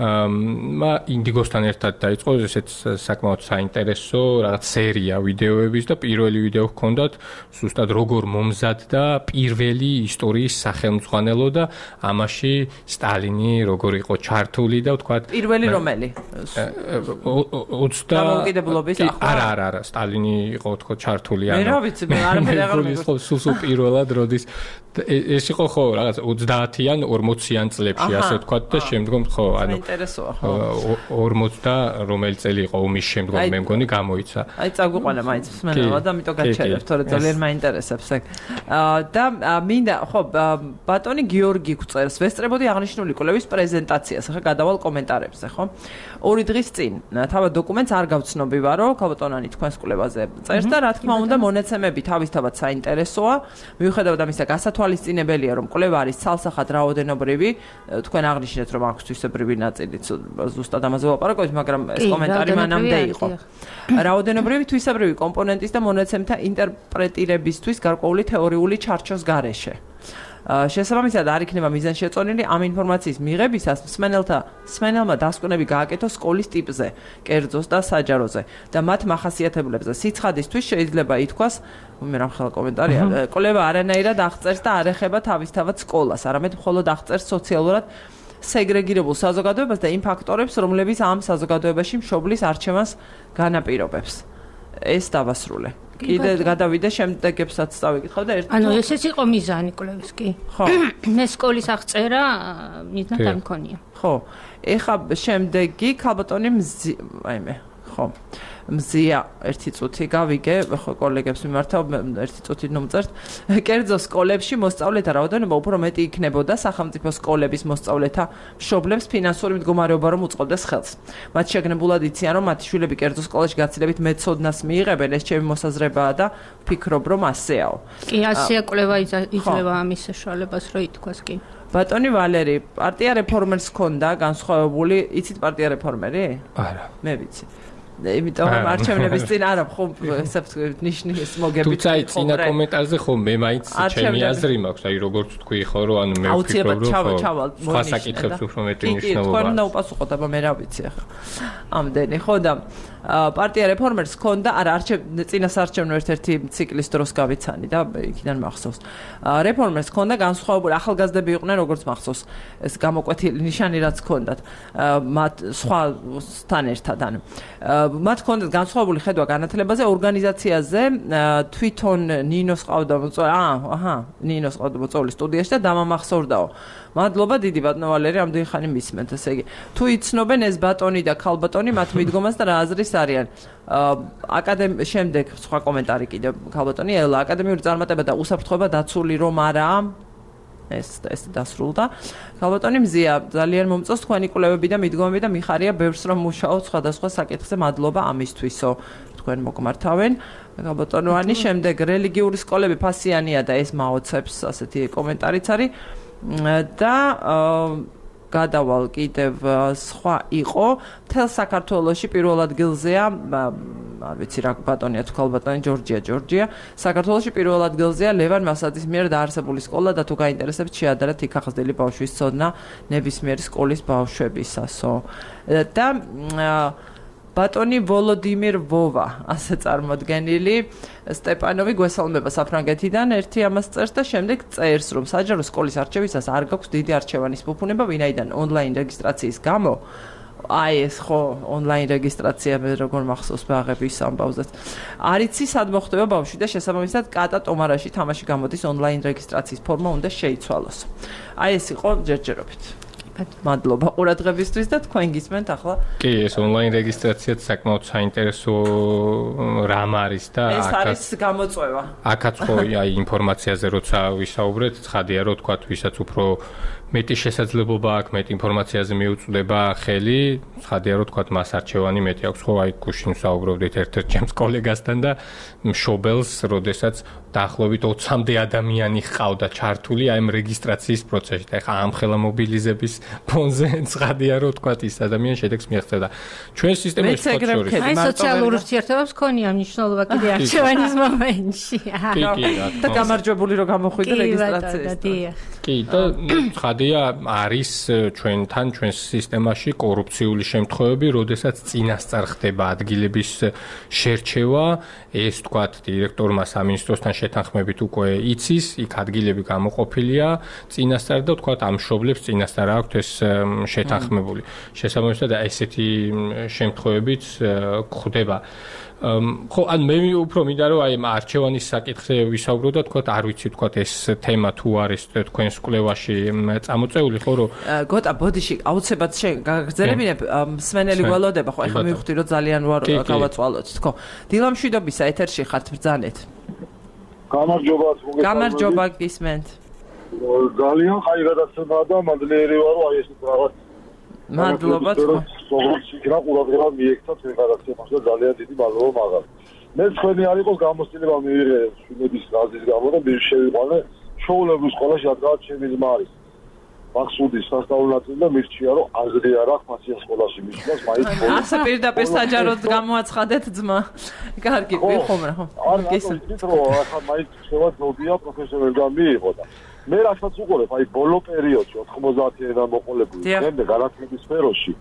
ინდიგოსთან ერთად დაიწყო ესეც საკმაოდ საინტერესო რაღაც სერია ვიდეოების და პირველი ვიდეო ჰქონდათ ზუსტად როგორ მომზადდა პირველი ისტორიის სახელმძღვანელო და ამაში სტალინი როგორ იყო ჩართული და ვთქვათ პირველი რომელი? 20 დამოუკიდებლობის ახლა? არა, სტალინი იყო თქო ჩართული მე რა ვიცი, მე არაფერი აღარ მეგონა. სულ პირველად როდის ეს იყო ხო რაღაც 30-იან 40-იან წლებში ასე ვთქვათ და შემდგომ ხო ანუ ინტერესოა ხო 40 და რომელი წელი იყო ომის შემდგომ მე მგონი გამოიცა. აი წაგვიყვანა მაინც მსმენელად და ამიტომ გაჩერებ, თორე ძალიან მაინტერესებს ეგ. და მინდა ხო ბატონი გიორგი გვწერს, ვესწრებოდი აღნიშნული კვლევის პრეზენტაციას, ახლა გადავალ კომენტარებზე, ხო? 2 დღის წინ თავად დოკუმენტს არ გავცნობი ვარო, ქალბატონანი თქვენს კვლევაზე წერს და რა თქმა უნდა მონაცემები თავისთავად საინტერესოა, მიუხედავად ამისა გასათვალისწინებელია რომ კვლევა არის ცალსახად რაოდენობრივი, თქვენ აღნიშნეთ რომ აქვს თვისებრივი ნაწილიც, ზუსტად ამაზე ვაპარაკობთ, მაგრამ ეს კომენტარი მანამდე იყო. რაოდენობრივი თვისებრივი კომპონენტის და მონაცემთა ინტერპრეტირებისთვის გარკვეული თეორიული ჩარჩოს გარეშე. შესაბამისად არ იქნება მიზანშეწონილი ამ ინფორმაციის მიღებისას მსმენელმა დასკვნები გააკეთო სკოლის ტიპზე, კერძოს და საჯაროზე და მათ მახასიათებლებზე. სიცხადისთვის შეიძლება ითქვას, მე რა ხელ კომენტარია, კვლევა არანაირად აღწერს და არ ეხება თავისთავად სკოლას, არამედ მხოლოდ აღწერს სოციალურად სეგრეგირებულ საზოგადოებას და იმ ფაქტორებს, რომლებიც ამ საზოგადოებაში მშობლის არჩევანს განაპირობებს. ეს დავასრულე. კიდე გადავიდე შემდეგებსაც წავიკითხავ და ანუ ესეც იყო მიზანი კვლევის, კი? ხო. მე სკოლის აღწერა მიზნად არ მქონია. ხო. ეხა შემდეგი ქალბატონი აიმე, ხო. მზია ერთი წუთი გავიგე, ხო კოლეგებს მიმართავ ერთი წუთი მომწერთ. კერძო სკოლებში მოსწავლეთა რაოდენობა უფრო მეტი იქნებოდა სახელმწიფო სკოლების მოსწავლეთა მშობლებს ფინანსური მდგომარეობა რომ უწყობდეს ხელს. მათ შეგნებულად იციან რომ მათი შვილები კერძო სკოლაში გაცილებით მეცოდნას მიიღებენ, ეს ჩემი მოსაზრებაა და ვფიქრობ რომ ასეაო. კი, ასეა კვლევა იძლევა ამის საშუალებას რომ ითქვას, კი. ბატონი ვალერი, პარტია რეფორმერს ჰქონდა განსხვავებული, იცით პარტია რეფორმერი? არა. მე ვიცი. იმიტომ რომ არჩევნების წინ არა ხო ნიშნის მოგებით. თუმცა წინა კომენტარზე ხო მე მაინც ჩემი აზრი მაქვს, აი როგორც თქვი ხო რომ ანუ მე ვფიქრობ რომ სხვა საკითხებს უფრო მეტი მნიშვნელობა. კი, თქვენ უნდა უპასუხოთ, აბა მე რა ვიცი ახლა. ამდენი ხო და პარტია რეფორმერს ჰქონდა, არა წინასარჩევნო ერთ-ერთი ციკლის დროს გავიცანი და იქიდან მახსოვს. რეფორმერს ჰქონდა განსხვავებული ახალგაზრდები იყვნენ როგორც მახსოვს. ეს გამოკვეთილი ნიშანი რაც ჰქონდათ მათ სხვასთან ერთად ანუ მათ ჰქონდათ განსხვავებული ხედვა განათლებაზე, ორგანიზაციაზე, თვითონ ნინოს ყავდა ნინოს ყავდა მოწვეული სტუდიაში და დამამახსოვრდაო. მადლობა დიდი ბატონო ვალერი, ამდენი ხანი მისმენთ, ესე იგი. თუ იცნობენ ეს ბატონი და ქალბატონი მათ მიდგომას და რა აზრის არიან. შემდეგ სხვა კომენტარი კიდე ქალბატონი ელა აკადემიური წარმატება და უსაფრთხოება დაცული რომ არაა. ეს დასრულდა. ქალბატონი მზია, ძალიან მომწონს თქვენი კვლევები და მიდგომები და მიხარია ბევრს რომ მუშაობთ სხვადასხვა საკითხზე. მადლობა ამისთვისო. თქვენ მოგმართავენ. ქალბატონოვანი, შემდეგ რელიგიური სკოლები ფასიანია და ეს მაოცებს, ასეთი კომენტარიც არის. და გადავალ კიდევ სხვა იყო მთელ საქართველოში პირველ ადგილზეა არ ვიცი რა ბატონია თუ ქალბატონი ჯორჯია საქართველოში პირველ ადგილზეა ლევან მასაძის მიერ დაარსებული სკოლა და თუ გაინტერესებთ შეადარეთ იქ ახსდელი ბავშვის ცოდნა ნებისმიერი სკოლის ბავშვებისასო და ბატონი ვოლოდიმირ ვოვა ასე წარმოდგენილი სტეპანოვი გვესალმება საფრანგეთიდან ერთი ამას წერს და შემდეგ წერს რომ საჯარო სკოლის არჩევისას არ გაქვს დიდი არჩევანის ფუფუნება ვინაიდან ონლაინ რეგისტრაციის გამო აი ეს ხო ონლაინ რეგისტრაცია მე როგორ მახსოვს ბაღების ამბავზეც. არიცი სად მოხდება ბავშვი და შესაბამისად კატა ტომარაში თამაში გამოდის ონლაინ რეგისტრაციის ფორმა უნდა შეიცვალოს. აი ეს იყო ჯერჯერობით. მადლობა ყურადღებისთვის და თქვენ გისმენთ ახლა. კი, ეს ონლაინ რეგისტრაციაც საკმაოდ საინტერესო რამ არის და ეს არის გამოწვევა. აქაც ხო აი ინფორმაციაზე როცა ვისაუბრეთ, ცხადია რომ თქვა ვისაც უფრო მეტი შესაძლებლობა აქვს, მეტი ინფორმაციაზე მიუწვდება ხელი, ცხადია რომ თქვა მას არჩევანი მეტი აქვს, ხო აი გუშინ ვსაუბრობდით ერთ-ერთ ჩემს კოლეგასთან და მშობელს, როდესაც დაახლოებით 20-მდე ადამიანი ჰყავდა ჩართული აი ამ რეგისტრაციის პროცესში. ეხლა ამ ხელა მობილიზების ფონზე ცხადია რომ თქვა ის ადამიანი შედეგს მიაღწევდა. ჩვენ სისტემაში შორის აი სოციალურ ურთიერთობებს ქონია მნიშვნელობა კიდე არჩევანის მომენტში. და გამარჯვებული რომ გამოხვიდე რეგისტრაციას. კი და ცხადია არის ჩვენთან ჩვენს სისტემაში კორუფციული შემთხვევები, როდესაც წინასწარ ხდება ადგილების შერჩევა, ეს თქვათ დირექტორმა სამინისტროსთან შეთანხმებით უკვე იცის, იქ ადგილები გამოყოფილია წინასწარ და თქვათ ამ მშობლებს წინასწარ აქვთ ეს შეთანხმებული. შესაბამისად ესეთი შემთხვევებიც ხდება. ხო, ან მე უფრო მინდა რომ აი არჩევანის საკითხზე ვისაუბრო და თქვათ არ ვიცი თქვათ ეს თემა თუ არის თქვენს კვლევაში წამოწეული ხო რომ გოტა ბოდიში აუცილებლად გაგრძელებინებ მსმენელი გველოდება ხო ეხლა მივხვდი რომ ძალიან ვარ გავაწვალოთ თქო დილამშვიდობისა ეთერში ხართ ბრძანეთ გამარჯობა გისმენთ ძალიან ხაი გადაცემაა და მადლიერი ვარ რომ აი ეს რაღაც მადლობა თქო როგორც იქნა ყურადღება მიექცა თქვენ გადაცემაში და ძალიან დიდი მადლობა მაგას მე თქვენი არ იყოს გამოცდილება მიიღე შვილების გაზის გამო და მე შევიყვანე შოულების სკოლაში რადგან ჩემი ძმა არის მახსუდის სასწავლებლად და მირჩია რომ აზრი არ აქვს მასია სკოლაში მისვლას მაინც ასე პირდაპირ საჯაროდ გამოაცხადეთ ძმა კარგი ვიხომრა ხო გესმით რომ ახლა მაინც შევა ძობია პროფესორებთან მიიღო და მე რასაც უყურებ აი ბოლო პერიოდში 90-იან მოყოლებული დღემდე განათლების სფეროში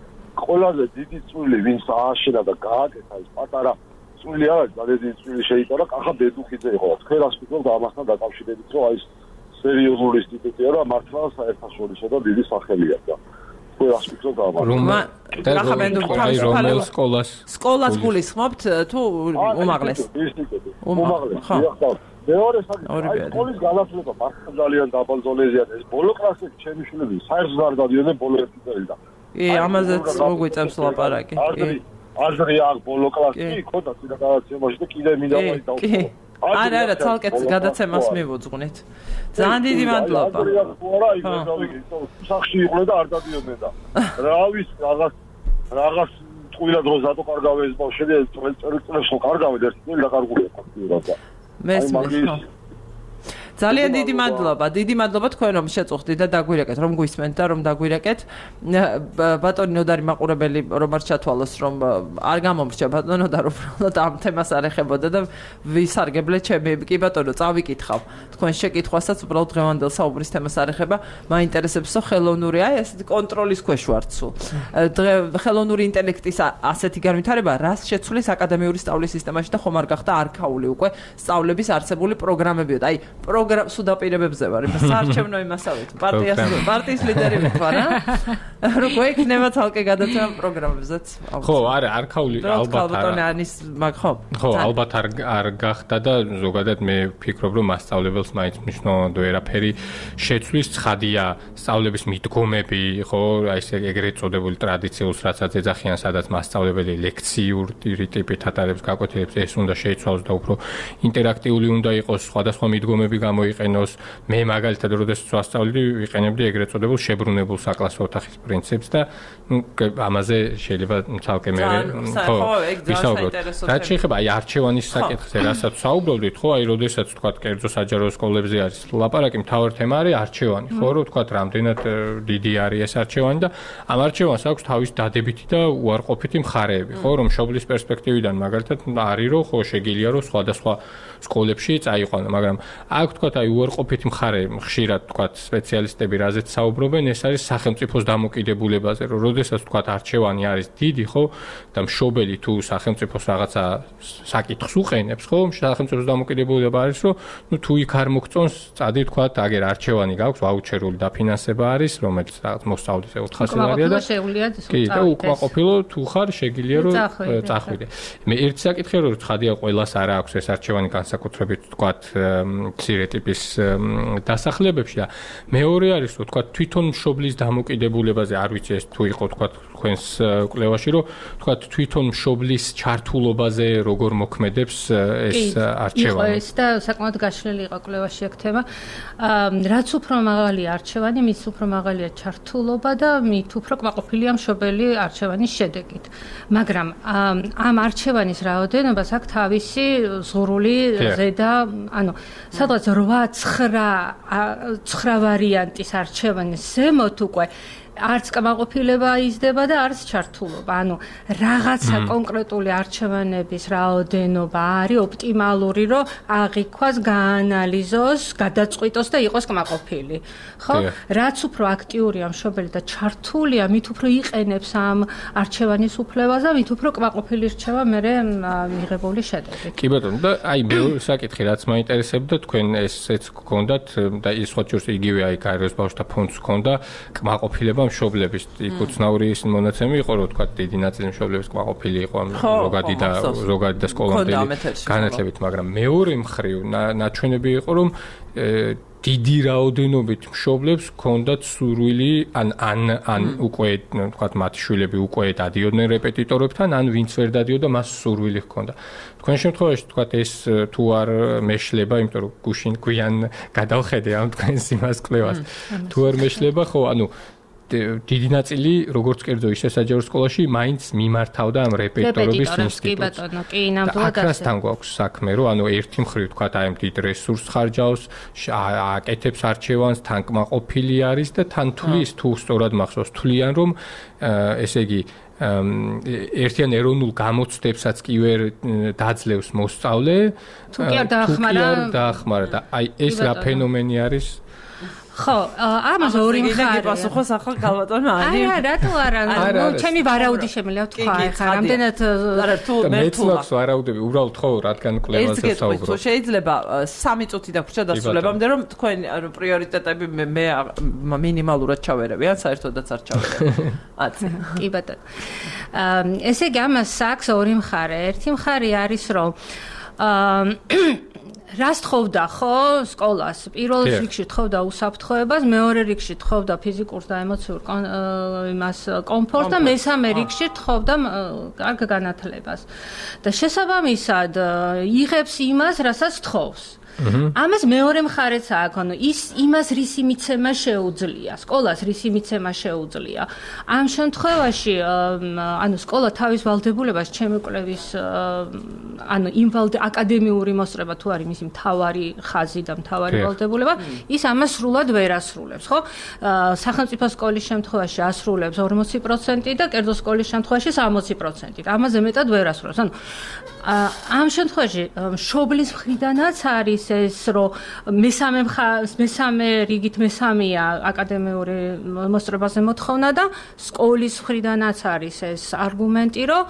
ყველაზე დიდი წვლილი ვინც ააშენა და გააკეთა ის პატარა წვლილი არის ძალიან დიდი წვლილი შეიტანა კახა ბედუხიძე იყო თქვენ რას ფიქრობთ ამასთან დაკავშირებით რომ აი ეს სერიოზული ინსტიტუტია და მართლა საერთაშორისო და დიდი სახელია და თქვენ რას ფიქრობთ ამას რომელ სკოლას გულისხმობთ თუ უმაღლეს ხო მეორე საკითხი სკოლის განათლება მართლა ძალიან დაბალ ზონეზეა ეს ბოლო კლასებში ჩემი შვილები საერთოდ არ გადიოდნენ ბოლო ერთი წელი და ამაზეც მოგვიწევს ლაპარაკი აზრი აქვს ბოლო კლასში ხოდა წინა გადაცემაში და კიდე მინდა დავწერო არა ცალკე გადაცემას მივუძღვნით ძალიან დიდი მადლობა სახში იყვნენ და არ დადიოდნენ და რავის რაღაც ტყუილად რო ზატო კარგავე ეს ბავშვები წელიწადს ხო კარგავენ ერთი წელი დაკარგულია ფაქტიურად და მესმის ძალიან დიდი მადლობა თქვენ რომ შეწუხდით და დაგვირეკეთ რომ გვისმენთ და რომ დაგვირეკეთ ბატონი ნოდარი მაყურებელი რომ არ ჩათვალოს რომ არ გამომრჩა ბატონო და უბრალოდ ამ თემას არ ეხებოდა და ვისარგებლე ჩემი კი ბატონო წავიკითხავ თქვენ შეკითხვასაც უბრალოდ დღევანდელ საუბრის თემას არ ეხება მაინტერესებსო ხელოვნური აი ეს კონტროლის ქვეშ ვართ სულ ხელოვნური ინტელექტის ასეთი განვითარება რას შეცვლის აკადემიური სწავლის სისტემაში და ხომ არ გახდა არქაული უკვე სწავლების არსებული პროგრამებიო აი სუდაპირებებზე ვარ, საარჩევნო იმასავით. პარტიის ლიდერი ვარ, როგორ იქნება თალკე გადაცემა პროგრამებზეც? ხო, არა, არქაული ალბათ ხო, ალბათ არ გახდა და ზოგადად მე ვფიქრობ, რომ მასწავლებელს მაინც მნიშვნელოვნად ვერაფერი შეცვლის, ცხადია, სწავლების მიდგომები, ხო, აი ეს ეგრეთ წოდებული ტრადიციულს რაცაც ეძახიან, სადაც მასწავლებელი ლექციური ტიპით ატარებს გაკვეთილებს, ეს უნდა შეიცვალოს და უფრო ინტერაქტიული უნდა იყოს, სხვადასხვა მიდგომები გამოიყენოს. მე მაგალითად როდესაც ვასწავლდი, ვიყენებდი ეგრეთ წოდებულ შებრუნებულ საკლასო ოთახის პრინციპს და ამაზე შეიძლება თალკე მე ვისაუბროთ. რაც შეეხება აი არჩევანის საკითხზე, რასაც საუბრობდით, ხო, აი როდესაც თქვა კერძო საჯარო სკოლებზე არის ლაპარაკი, მთავარი თემა არის არჩევანი, ხო, რომ თქვა რამდენად დიდი არის ეს არჩევანი და ამ არჩევანს აქვს თავის დადებითი და უარყოფითი მხარეები, ხო, რომ მშობლის პერსპექტივიდან მაგალითად არის რომ ხო შეგიძლია რომ სხვადასხვა სკოლებში წაიყვანო, მაგრამ აქ თქვა თქვათ, აი უარყოფითი მხარე ხშირად თქვათ სპეციალისტები რაზეც საუბრობენ, ეს არის სახელმწიფოს დამოკიდებულებაზე, რომ როდესაც თქვათ არჩევანი არის დიდი, ხო, და მშობელი თუ სახელმწიფოს რაღაცა საკითხს უყენებს, ხო, სახელმწიფოს დამოკიდებულება არის, რომ ნუ თუ იქ არ მოგწონს, წადი თქვათ, აგერ არჩევანი გაქვს, ვაუჩერული დაფინანსება არის, რომელიც რაღაც მოსწავლის 400 ლარია და კი, და უკმაყოფილო თუ ხარ, შეგიძლია რომ წახვიდე. მე ერთი საკითხი რომ ცხადია ყველას არ აქვს ეს არჩევანი განსაკუთრებით თქვათ მცირე ტიპის დასახლებებში და მეორე არის რომ თქვათ თვითონ მშობლის დამოკიდებულებაზე არ ვიცი ეს თუ იყო თქვათ თქვენს კვლევაში რომ თქვათ თვითონ მშობლის ჩართულობაზე როგორ მოქმედებს ეს არჩევანი. ეს და საკმაოდ გაშლილი იყო კვლევაში აქ თემა. რაც უფრო მაღალი არჩევანი, მის უფრო მაღალია ჩართულობა და მით უფრო კმაყოფილია მშობელი არჩევანის შედეგით. მაგრამ ამ არჩევანის რაოდენობას აქვს თავისი ზღურული ზედა, ანუ სადღაც 8-9 ვარიანტის არჩევანის ზემოთ უკვე არც კმაყოფილება იზრდება და არც ჩართულობა. ანუ რაღაცა კონკრეტული არჩევანების რაოდენობა არის ოპტიმალური, რომ აღიქვას, გაანალიზოს, გადაწყვიტოს და იყოს კმაყოფილი. ხო? რაც უფრო აქტიურია მშობელი და ჩართულია, მით უფრო იყენებს ამ არჩევანის უფლებას და მით უფრო კმაყოფილი რჩება მერე მიღებული შედეგი. კი ბატონო, და აი მეორე საკითხი რაც მაინტერესებდა, თქვენ ესეც გქონდათ და ის სხვა ჯერს იგივე აი გაეროს ბავშვთა ფონდს ჰქონდა კმაყოფილება მშობლების უცნაური ის მონაცემი იყო რომ თქვა დიდი ნაწილი მშობლების კმაყოფილი იყო ზოგადი და სკოლამდელი განათლებით, მაგრამ მეორე მხრივ ნაჩვენები იყო რომ დიდი რაოდენობით მშობლებს ჰქონდათ სურვილი ან უკვე თქვა მათი შვილები უკვე დადიოდნენ რეპეტიტორებთან, ან ვინც ვერ დადიოდა მას სურვილი ჰქონდა. თქვენ შემთხვევაში თქვა ეს თუ არ მეშლება, იმიტომ რომ გუშინ გვიან გადავხედე ამ თქვენს იმას კვლევას. თუ არ მეშლება, ხო, ანუ დიდი ნაწილი როგორც კერძო ისე საჯარო სკოლაში მაინც მიმართავდა ამ რეპეტიტორების ინსტიტუტს. კი, ნამდვილად ასე. აქასთან გვაქვს საქმე, რომ ანუ ერთი მხრივ თქვა აი ამ დიდ რესურსს ხარჯავს, აკეთებს არჩევანს, თან კმაყოფილი არის და თან თulis თუ სწორად მახსოვს, თვლიან რომ ესე იგი ერთიან ეროვნულ გამოცდებსაც კი ვერ დაძლევს მოსწავლე, თუ კი არ დაახმარა და აი ეს რა ფენომენი არის? ხო, ამაზე ორი მხარე. პასუხოს ახლა გალბატონო ანი. არა, რატო არა? ნუ ჩემი ვარაუდი შემიძლია ვთქვა, ხა რამდენად არა თუ მეცნობს ვარაუდები, უბრალოდ ხო, რადგან კვლევაზე საუბრობ. ეს შეიძლება 3 წუთი დაგვრჩა დასრულებამდე, რომ თქვენ პრიორიტეტები მე მინიმალურად ჩავერევი, ან საერთოდაც არ ჩავერევი. აცი. კი ბატონო. ესე იგი ამას აქვს ორი მხარე. ერთი მხარე არის, რომ რას თხოვდა ხო სკოლას? პირველ რიგში თხოვდა უსაფრთხოებას, მეორე რიგში თხოვდა ფიზიკურ და ემოციურ იმას კომფორტს და მესამე რიგში თხოვდა კარგ განათლებას. და შესაბამისად იღებს იმას, რასაც თხოვს. ამას მეორე მხარეც აქვს, ანუ ის იმას რისი მიცემა შეუძლია, სკოლას რისი მიცემა შეუძლია. ამ შემთხვევაში, ანუ სკოლა თავის ვალდებულებას ჩემი კვლევის ანუ იმ აკადემიური მოსწრება თუ არის მისი მთავარი ხაზი და მთავარი ვალდებულება, ის ამას სრულად ვერ ასრულებს, ხო? სახელმწიფო სკოლის შემთხვევაში ასრულებს 40% და კერძო სკოლის შემთხვევაში 60%. ამაზე მეტად ვერ ასრულებს. ანუ ამ შემთხვევაში მშობლის მხრიდანაც არის ეს, რომ მესამე რიგით მესამეა აკადემიური მოსწრებაზე მოთხოვნა და სკოლის მხრიდანაც არის ეს არგუმენტი, რომ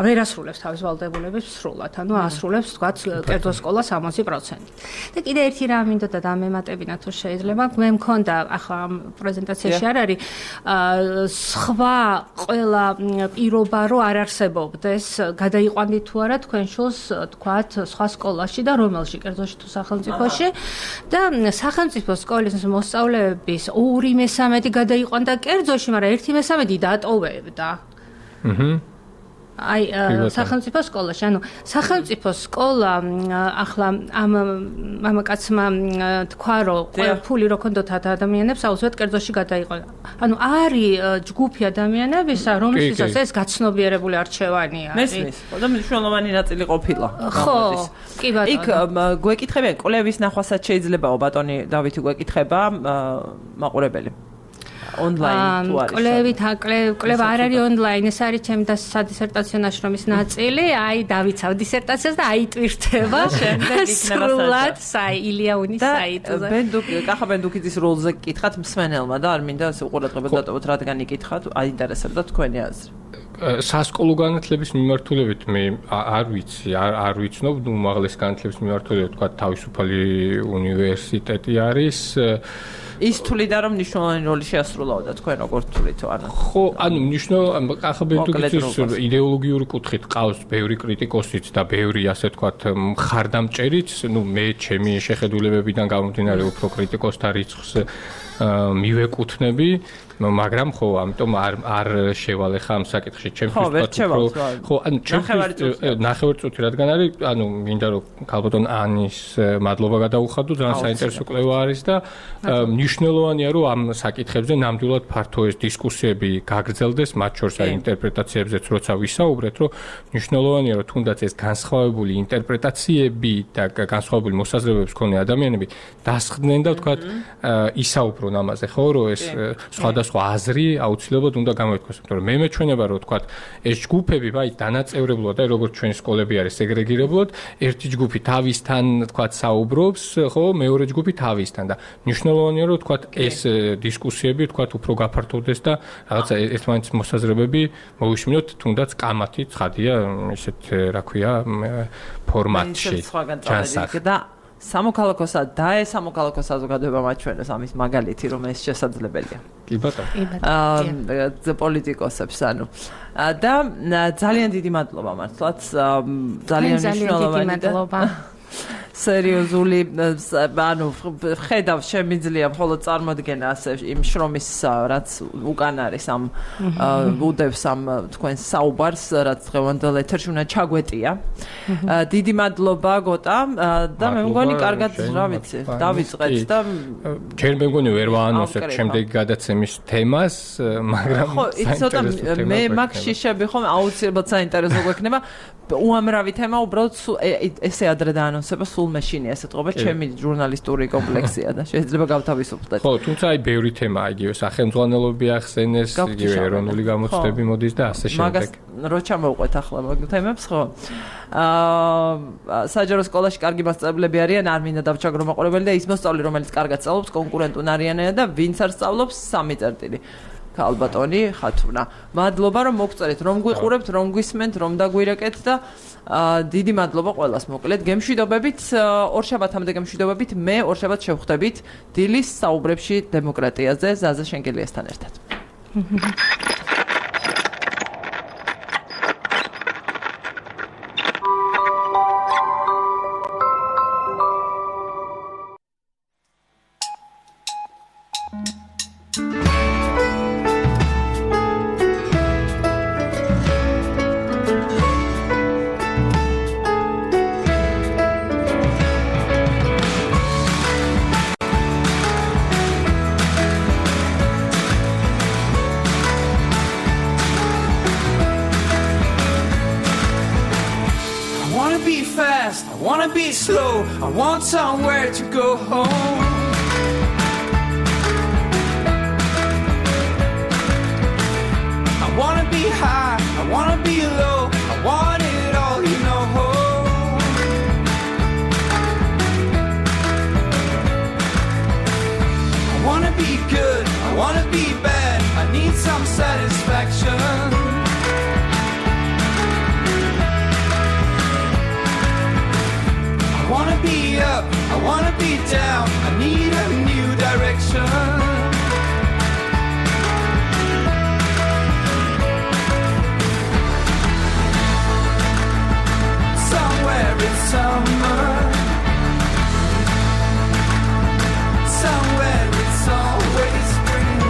ვერ ასრულებს თავის ვალდებულებას სრულად, ანუ ასრულებს თქვათ კერძო სკოლა 60%. და კიდე ერთი რამ მინდოდა დამემატებინა თუ შეიძლება, მე მქონდა ახლა ამ პრეზენტაციაში არ არის სხვა ყველა პირობა რომ არ არსებობდეს, გადაიყვანდით თუ არა თქვენ შულს თქვათ სხვა სკოლაში და რომელში კერძოში თუ სახელმწიფოში და სახელმწიფო სკოლის მოსწავლეების 2/3 გადაიყვანდა კერძოში, მაგრამ 1/3 დატოვებდა. აი სახელმწიფო სკოლაში, ანუ სახელმწიფო სკოლა ახლა ამ მამაკაცმა თქვა, რომ ფული რო ქონდათ ადამიანებს აუცილებლად კერძოში გადაიყვანა. ანუ არის ჯგუფი ადამიანებისა, რომლისთვისაც ეს გაცნობიერებული არჩევანი არის. მესმის, და მნიშვნელოვანი ნაწილი ყოფილა. ხო, კი ბატონო. იქ გვეკითხებიან კვლევის ნახვასაც შეიძლებაო ბატონი დავითი გვეკითხება მაყურებელი. ონლაინ თუ არის. კლევით კლევა არ არის ონლაინ, ეს არის ჩემი სადისერტაციო ნაშრომის ნაწილი. აი დავიცავ დისერტაციას და აიტვირთება. შემდეგ იქნება ილიაუნის საიტზე. კახა ბენდუკიძის როლზე გკითხათ მსმენელმა და არ მინდა ასე უყურადღებოდ დატოვოთ, რადგან იკითხათ, აინტერესებდა თქვენი აზრი. სასკოლო განათლების მიმართულებით მე არ ვიცი, არ ვიცნობ, უმაღლესი განათლების მიმართულებით თქვა თავისუფალი უნივერსიტეტი არის. ის თვლიდა რომ მნიშვნელოვანი როლი შეასრულაოდა თქვენ როგორ თვლით ანუ ხო ანუ მნიშვნელოვანი ახალბედუქის იდეოლოგიური კუთხით ყავს ბევრი კრიტიკოსიც და ბევრი ასე თქვათ მხარდამჭერიც ნუ მე ჩემი შეხედულებებიდან გამომდინარე უფრო კრიტიკოსთა რიცხვს მივეკუთვნები მაგრამ ხო ამიტომ არ შევალე ხა ამ საკითხში ჩემთვის ხო ანუ ჩემთვის ნახევარწუთი რადგან არის ანუ მინდა რომ ქალბატონ ანის მადლობა გადაუხადო ძალიან საინტერესო კვლევა არის და მნიშვნელოვანია რომ ამ საკითხებზე ნამდვილად ფართო ეს დისკუსიები გაგრძელდეს მათ შორის აი ინტერპრეტაციებზეც როცა ვისაუბრეთ რომ მნიშვნელოვანია რომ თუნდაც ეს განსხვავებული ინტერპრეტაციები და განსხვავებული მოსაზრებების მქონე ადამიანები დასხდნენ და ვთქვათ ისაუბრონ ამაზე ხო რომ ეს სხვადასხვა აზრი აუცილებლად უნდა გამოითქვას, იმიტომ რომ მე მეჩვენება რომ თქვა ეს ჯგუფები, აი დანაწევრებლად, აი როგორც ჩვენი სკოლები არის სეგრეგირებლად, ერთი ჯგუფი თავისთან თქვა საუბრობს, ხო, მეორე ჯგუფი თავისთან და მნიშვნელოვანია რომ თქვა ეს დისკუსიები თქვა უფრო გაფართოვდეს და რაღაცა ერთმანეთის მოსაზრებები მოვიშმინოთ, თუნდაც კამათი ცხადია ესეთ რა ქვია ფორმატში. სამოქალაქოსა და სამოქალაქო საზოგადოება მაჩვენებს ამის მაგალითი რომ ეს შესაძლებელია. კი ბატონო. პოლიტიკოსებს ანუ და ძალიან დიდი მადლობა მართლაც ძალიან მნიშვნელოვანი მადლობა. სერიოზული ანუ ხედავ შემიძლია მხოლოდ წარმოდგენა ასე იმ შრომის რაც უკან არის ამ უდევს ამ თქვენ საუბარს რაც დღევანდელ ეთერში უნდა ჩაგვეტია. დიდი მადლობა გოტა და მე მგონი კარგად რა ვიცი დავიწყეთ და ჯერ მე მგონი ვერ ვაანონსებ შემდეგი გადაცემის თემას მაგრამ ხო ცოტა მე მაგ შიშები ხომ აუცილებლად საინტერესო გვექნება უამრავი თემა უბრალოდ ესე ადრე დაანონსება სულ მეშინია ესე თქო ჩემი ჟურნალისტური კომპლექსია და შეიძლება გავთავისუფლდეთ. ხო, თუმცა აი ბევრი თემაა იგივე სახელმძღვანელოები ახსენეს, იგივე ეროვნული გამოცდები მოდის და ასე შემდეგ. მაგას რო ჩამოვყვეთ ახლა მაგ თემებს, ხო? საჯარო სკოლაში კარგი მასწავლებლები არიან, არ მინდა დავჩაგრო მაყურებელი და ის მოსწავლე რომელიც კარგად სწავლობს, კონკურენტუნ არიანია და ვინც არ სწავლობს 3 წერტილი. ქალბატონი ხათუნა. მადლობა რომ მოგწერეთ, რომ გვიყურებთ, რომ გვისმენთ, რომ დაგვირეკეთ და დიდი მადლობა ყველას მოკლედ. გემშვიდობებით, ორშაბათამდე გემშვიდობებით. მე ორშაბათს შევხვდებით დილის საუბრებში დემოკრატიაზე ზაზა შენგელიასთან ერთად. I want somewhere to go home. I wanna be high, I wanna be low, I want it all, you know. I wanna be good, I wanna be bad, I need some satisfaction. I wanna be up, I wanna be down, I need a new direction. Somewhere it's summer, somewhere it's always spring.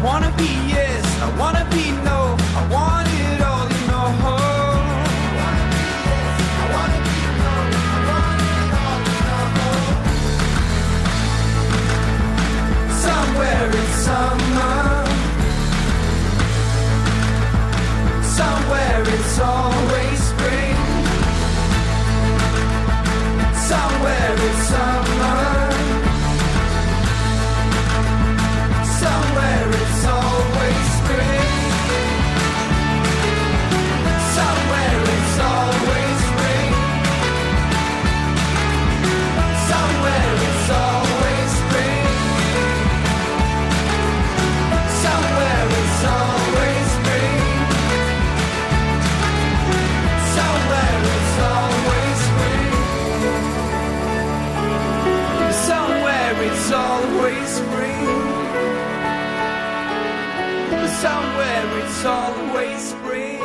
wanna be yes, I wanna be no, I want it all, you know. Somewhere in summer, somewhere it's always spring. Somewhere it's summer, somewhere it's always spring. Somewhere it's always spring. Somewhere it's always spring. Somewhere it's always spring. Somewhere it's always spring. Somewhere it's always spring. Somewhere it's always spring.